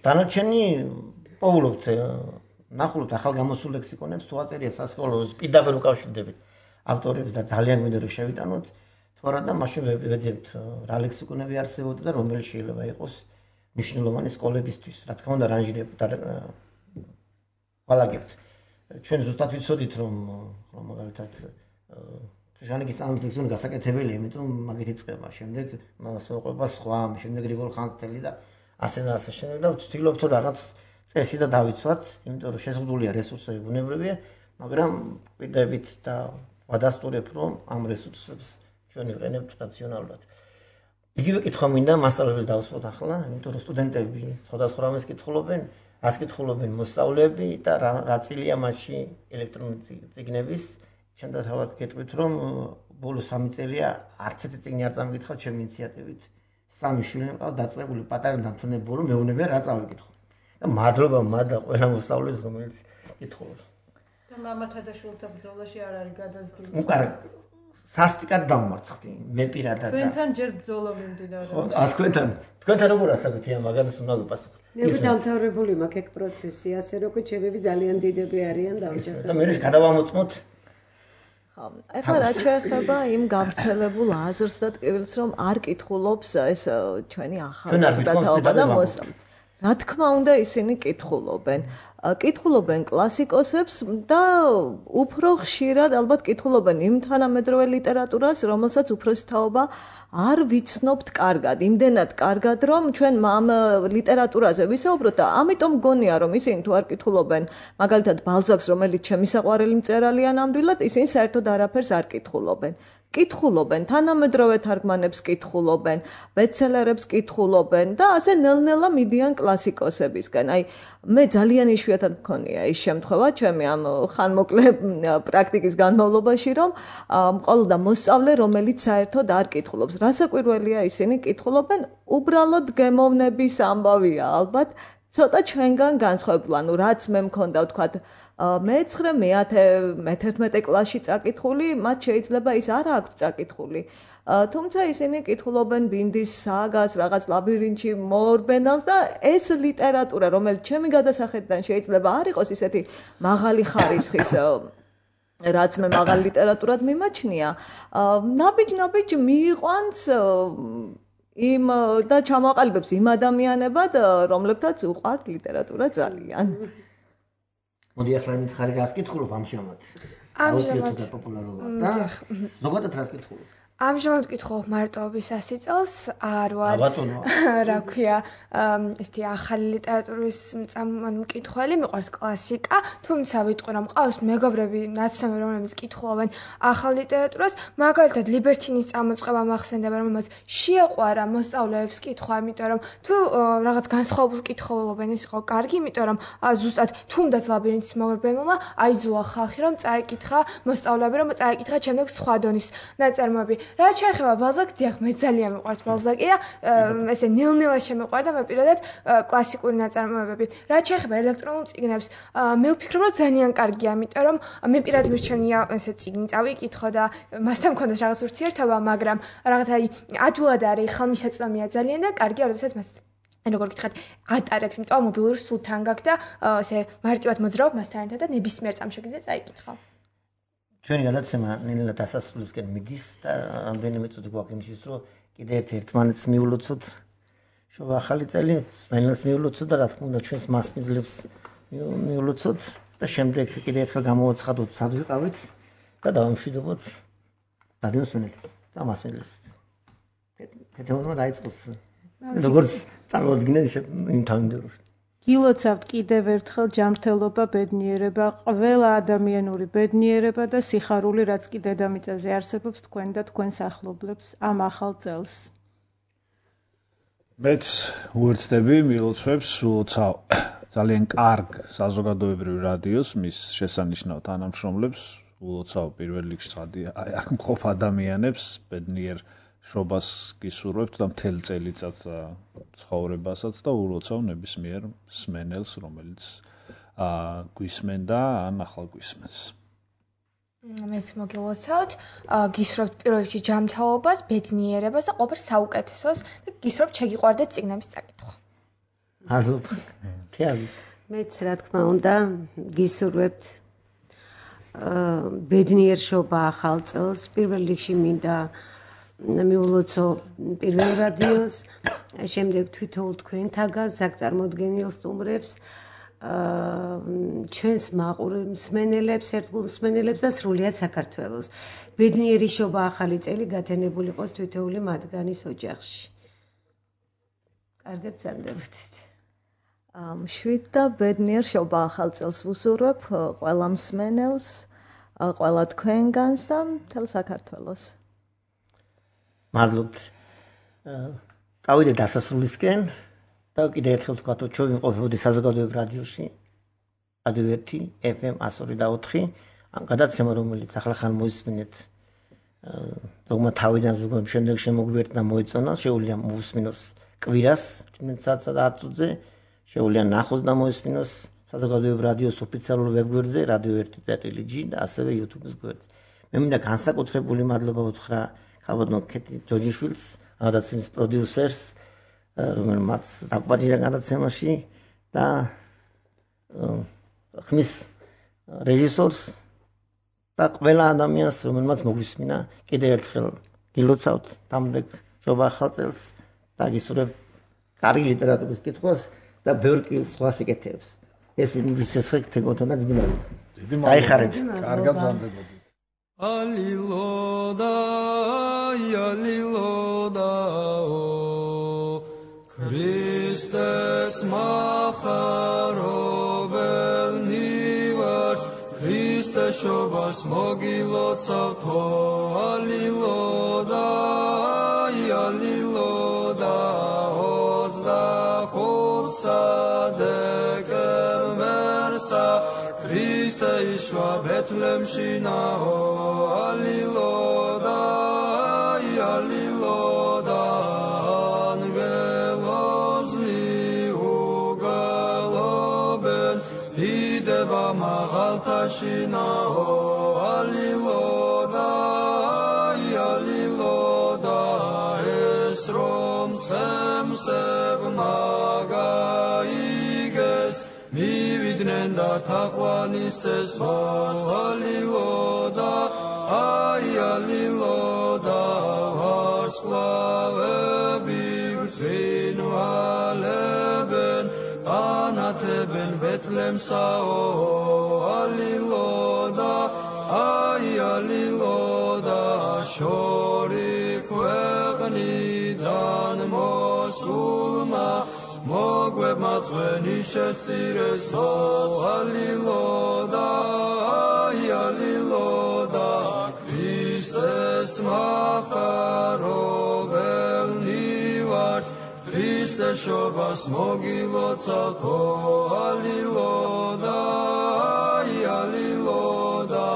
დანარჩენი პოულობთ ნახულობთ ახალ გამოსულ ლექსიკონებს, თუ აწერია სასკოლო პირდაპირ უკავშირდებით ავტორებს და ძალიან გვინდა რომ შევიტანოთ, თუ არა და მაშინ ვეძებთ რა ლექსიკონები არსებობდა და რომელი შეიძლება იყოს მნიშვნელოვანი სკოლებისთვის. რა თქმა უნდა რანჟირებთ და ვალაგებთ. ჩვენ ზუსტად ვიცოდით რომ მაგალითად ჟანიკის ამ ლექსიკონი გასაკეთებელია, იმიტომ მაგით იწყება. შემდეგ მას მოყვება სხვა, შემდეგ რიგოლ ხანძთელი და ასე და ასე შემდეგ და ვცდილობთ რომ რაღაც წესი და დავიცვათ, იმიტომ რომ შეზღუდულია რესურსები ბუნებრივია, მაგრამ პირდებით და ვადასტურებ რომ ამ რესურსებს ჩვენ ვიყენებთ რაციონალურად. იგივე კითხვა მინდა მასწავლებლებს დავსვათ ახლა, იმიტომ რომ სტუდენტები სხვადასხვა რამეს კითხულობენ, ას კითხულობენ მოსწავლეები და რა წილია მასში ელექტრონული წიგნების. ჩვენ და თავად გეტყვით რომ ბოლო სამი წელია არც ერთი წიგნი არ წამიკითხავთ ჩემი ინიციატივით. სამი შვილი მყავს დაწყებული პატარა დამთვალიერებელი ბოლო მეუბნებია რა წავიკითხო. და მადლობა მადლობა ყველა მოსწავლეს რომელიც კითხულობს.
და მამათა და შვილთა ბრძოლაში არ არის გადაზრდილი.
უკარ სასტიკად დამარცხდი მე პირადად.
თქვენთან ჯერ ბრძოლა მიმდინარეობს.
ხო, ა თქვენთან თქვენთან როგორ ასაკუთი ამ მაგაზეს უნდა გიპასუხოთ.
მე დამთავრებული მაქვს ეგ პროცესი, ასე რომ ჩემები ძალიან დიდები არიან დამჭერბებული.
და მე გადავამოწმოთ.
ხო, ეხლა რა შეეხება იმ გავრცელებულ აზრს და ტკივილს, რომ არ კითხულობს ეს ჩვენი ახალგაზრდა თაობა და მოსწავლე. რა თქმა უნდა ისინი კითხულობენ. კითხულობენ კლასიკოსებს და უფრო ხშირად ალბათ კითხულობენ იმ თანამედროვე ლიტერატურას, რომელსაც უფროსი თაობა არ ვიცნობთ კარგად, იმდენად კარგად, რომ ჩვენ ამ ლიტერატურაზე ვისაუბროთ და ამიტომ გონია, რომ ისინი თუ არ კითხულობენ, მაგალითად ბალზაკს, რომელიც ჩემი საყვარელი მწერალია ნამდვილად, ისინი საერთოდ არაფერს არ კითხულობენ. კითხულობენ, თანამედროვე თარგმანებს კითხულობენ, ბესტსელერებს კითხულობენ და ასე ნელ-ნელა მიდიან კლასიკოსებისგან. აი, მე ძალიან იშვიათად მქონია ის შემთხვევა, ჩემი ამ ხანმოკლე პრაქტიკის განმავლობაში, რომ მყოლოდა მოსწავლე, რომელიც საერთოდ არ კითხულობს. რასაკვირველია, ისინი კითხულობენ, უბრალოდ გემოვნების ამბავია ალბათ, ცოტა ჩვენგან განსხვავებული, ანუ რაც მე მქონდა, ვთქვათ, მეცხრე, მეათე, მეთერთმეტე კლასში წაკითხული, მათ შეიძლება ის არ აქვს წაკითხული. თუმცა ისინი კითხულობენ ბინდის საგას, რაღაც ლაბირინთში მოორბენავს და ეს ლიტერატურა, რომელიც ჩემი გადასახედიდან შეიძლება არ იყოს ისეთი მაღალი ხარისხის, რაც მე მაღალ ლიტერატურად მიმაჩნია, ნაბიჯ-ნაბიჯ მიიყვანს იმ და ჩამოაყალიბებს იმ ადამიანებად, რომლებთაც უყვართ ლიტერატურა ძალიან.
მოდი ახლა მითხარი რას კითხულობ ამჟამად? ამჟამად პოპულარობა და ზოგადად რას კითხულობ?
ამჟამად ვკითხულობ მარტოობის ასიწელს, არ ვარ რა ქვია, ესეთი ახალი ლიტერატურის მკითხველი, მიყვარს კლასიკა, თუმცა ვიტყვი რომ მყავს მეგობრები, ნაცნობი, რომლებიც კითხულობენ ახალ ლიტერატურას, მაგალითად ლიბერტინის წამოწყება მახსენდება, რომელმაც შეაყვარა მოსწავლეებს კითხვა, იმიტომ რომ თუ რაღაც განსხვავებულს კითხულობენ, ეს იყო კარგი, იმიტომ რომ ზუსტად თუნდაც ლაბირინთის მოგებელმა აიძულა ხალხი, რომ წაეკითხა მოსწავლეები, რომ წაეკითხა შემდეგ სხვა დონის ნაწარმოები. რაც შეეხება ბალზაკს, დიახ, მე ძალიან მიყვარს ბალზაკი და ესე ნელ-ნელა შემეყვარდა მე პირადად კლასიკური ნაწარმოებები. რაც შეეხება ელექტრონულ წიგნებს, მე ვფიქრობ, რომ ძალიან კარგია, იმიტომ რომ მე პირადად მირჩენია ესე წიგნი წავიკითხო და მასთან მქონდეს რაღაც ურთიერთობა, მაგრამ რაღაც აი ადვილად არის, ხალმისაწვდომია ძალიან და კარგია, როდესაც მას როგორ გითხრათ, ატარებ, იმიტომ რომ მობილური სულ თან გაქვს და ესე მარტივად მოძრაობ მასთან ერთად და ნებისმიერ წამს შეგიძლია წაიკითხო.
ჩვენი გადაცემა ნელ-ნელა დასასრულისკენ მიდის და რამდენიმე წუთი გვაქვს იმისთვის, რომ კიდე ერთ ერთმანეთს მიულოცოთ. შობა ახალი წელი, მენელს მიულოცოთ და რა თქმა უნდა ჩვენს მასმიძლებს მიულოცოთ და შემდეგ კიდე ერთხელ გამოვაცხადოთ, სად ვიყავით და დავამშვიდობოთ რადიოს მენელს და მასმედლებს. თეთრმა დაიწყოს როგორც წარმოადგინენ იმ თავმდაბლობში.
გილოცავთ კიდევ ერთხელ ჯანმრთელობა, ბედნიერება, ყველა ადამიანური ბედნიერება და სიხარული, რაც კი დედამიწაზე არსებობს თქვენ და თქვენს ახლობლებს ამ ახალ წელს.
მეც უერთდები მილოცვებს, ულოცავ ძალიან კარგ საზოგადოებრივ რადიოს, მის შესანიშნავ თანამშრომლებს, ულოცავ პირველ რიგში აი აქ მყოფ ადამიანებს, ბედნიერ შობას გისურვებთ და მთელ წელიწად ცხოვრებასაც და ულოცავ ნებისმიერ მსმენელს, რომელიც გვისმენდა ან ახალ გვისმენს.
მეც მოგილოცავთ, გისურვებთ პირველ რიგში ჯანმრთელობას, ბედნიერებას და ყოველ საუკეთესოს და გისურვებთ შეგიყვარდეთ წიგნების წაკითხვა.
მადლობა. თეავის.
მეც რა თქმა უნდა გისურვებთ ბედნიერ შობა ახალ წელს, პირველ რიგში მინდა მიულოცო პირველ რადიოს, შემდეგ თვითოულ თქვენთაგან საგწარმოდგენილ სტუმრებს, ჩვენს მაყურებელ მსმენელებს, ერთგულ მსმენელებს და სრულიად საქართველოს. ბედნიერი შობა ახალი წელი გათენებული იყოს თითოეული მათგანის ოჯახში. კარგად გრძანდებოდეთ.
მშვიდ და ბედნიერ შობა ახალ წელს ვუსურვებ ყველა მსმენელს, ყველა თქვენგანს და მთელ საქართველოს.
მადლობთ. წავიდეთ დასასრულისკენ და კიდე ერთხელ თქვა, რომ ჩვენ ვიმყოფებოდი საზოგადოებრივ რადიოში რადიო ერთი ეფ ემ εκατს ორი და ოთხი. ამ გადაცემა, რომელიც ახლა ხან მოისმინეთ, ზოგმა თავიდან ზოგმა შემდეგ შემოგვიერთდა და მოეწონა, შეუძლია მოусმინოს კვირას ჭიმენ საათსა და ათ წუთზე, შეუძლია ნახოს და მოისმინოს საზოგადოებრივ რადიოს ოფიციალურ ვებგვერდზე რადიო ერთი წერტილი ჯი და ასევე YouTube-ის გვერდზე. მე მინდა განსაკუთრებული მადლობა უთხრა ქალბატონ ქეთი ჯოჯიშვილს, გადაცემის პროდიუსერს, რომელმაც დაგპატიჟა გადაცემაში და ხმის რეჟისორს და ყველა ადამიანს, რომელმაც მოგვისმინა. კიდევ ერთხელ გილოცავთ დამდეგ შობა ახალ წელს და გისურვებთ კარგი ლიტერატურის კითხვას და ბევრი სხვა სიკეთეებს. ეს იმის ეს თეკოთონა დიდი მადლობა. დიდი მადლობა. აიხარეთ.
კარგად ბრძანდებოდით.
ალილოდა ალილოდა ქრისტეს მახარობელნი ვარ ქრისტეს შობას მოგილოცავთო ალილოდა ალილოდა ოცდახუთსა დეკემბერსა ქრისტე იშვა ბეთლემში ნაო ალილოდა ალილოდა მაღალთაშინაო ალილოდა ალილოდა ეს რომ ცემსებ მაგაიგეს მივიდნენ და თაყვანისეს ალილოდა ალილოდა ვარსკვლავები გრძინვალებენ ანათებენ ბეთლემსაო ალილოდა აი ალილოდა შორი ქვეყნიდან მოსულმა მოგვებმა წვენი შესწირესო ალილოდა აი ალილოდა ქრისტეს მახარობელნი ვართ ქრისტეს შობას მოგილოცავთო ალილოდა ალილოდა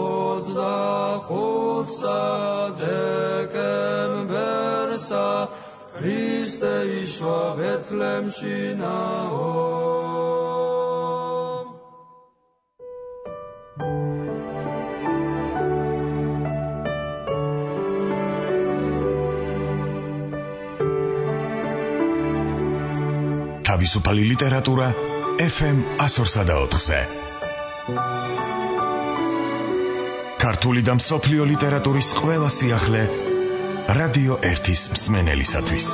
ოცდახუთსა დეკემბერსა ქრისტე იშვა ბეთლემში ნაო
თავისუფალი ლიტერატურა ეფ ემ one oh four ზე. ქართული და მსოფლიო ლიტერატურის ყველა სიახლე რადიო ერთის მსმენელისათვის.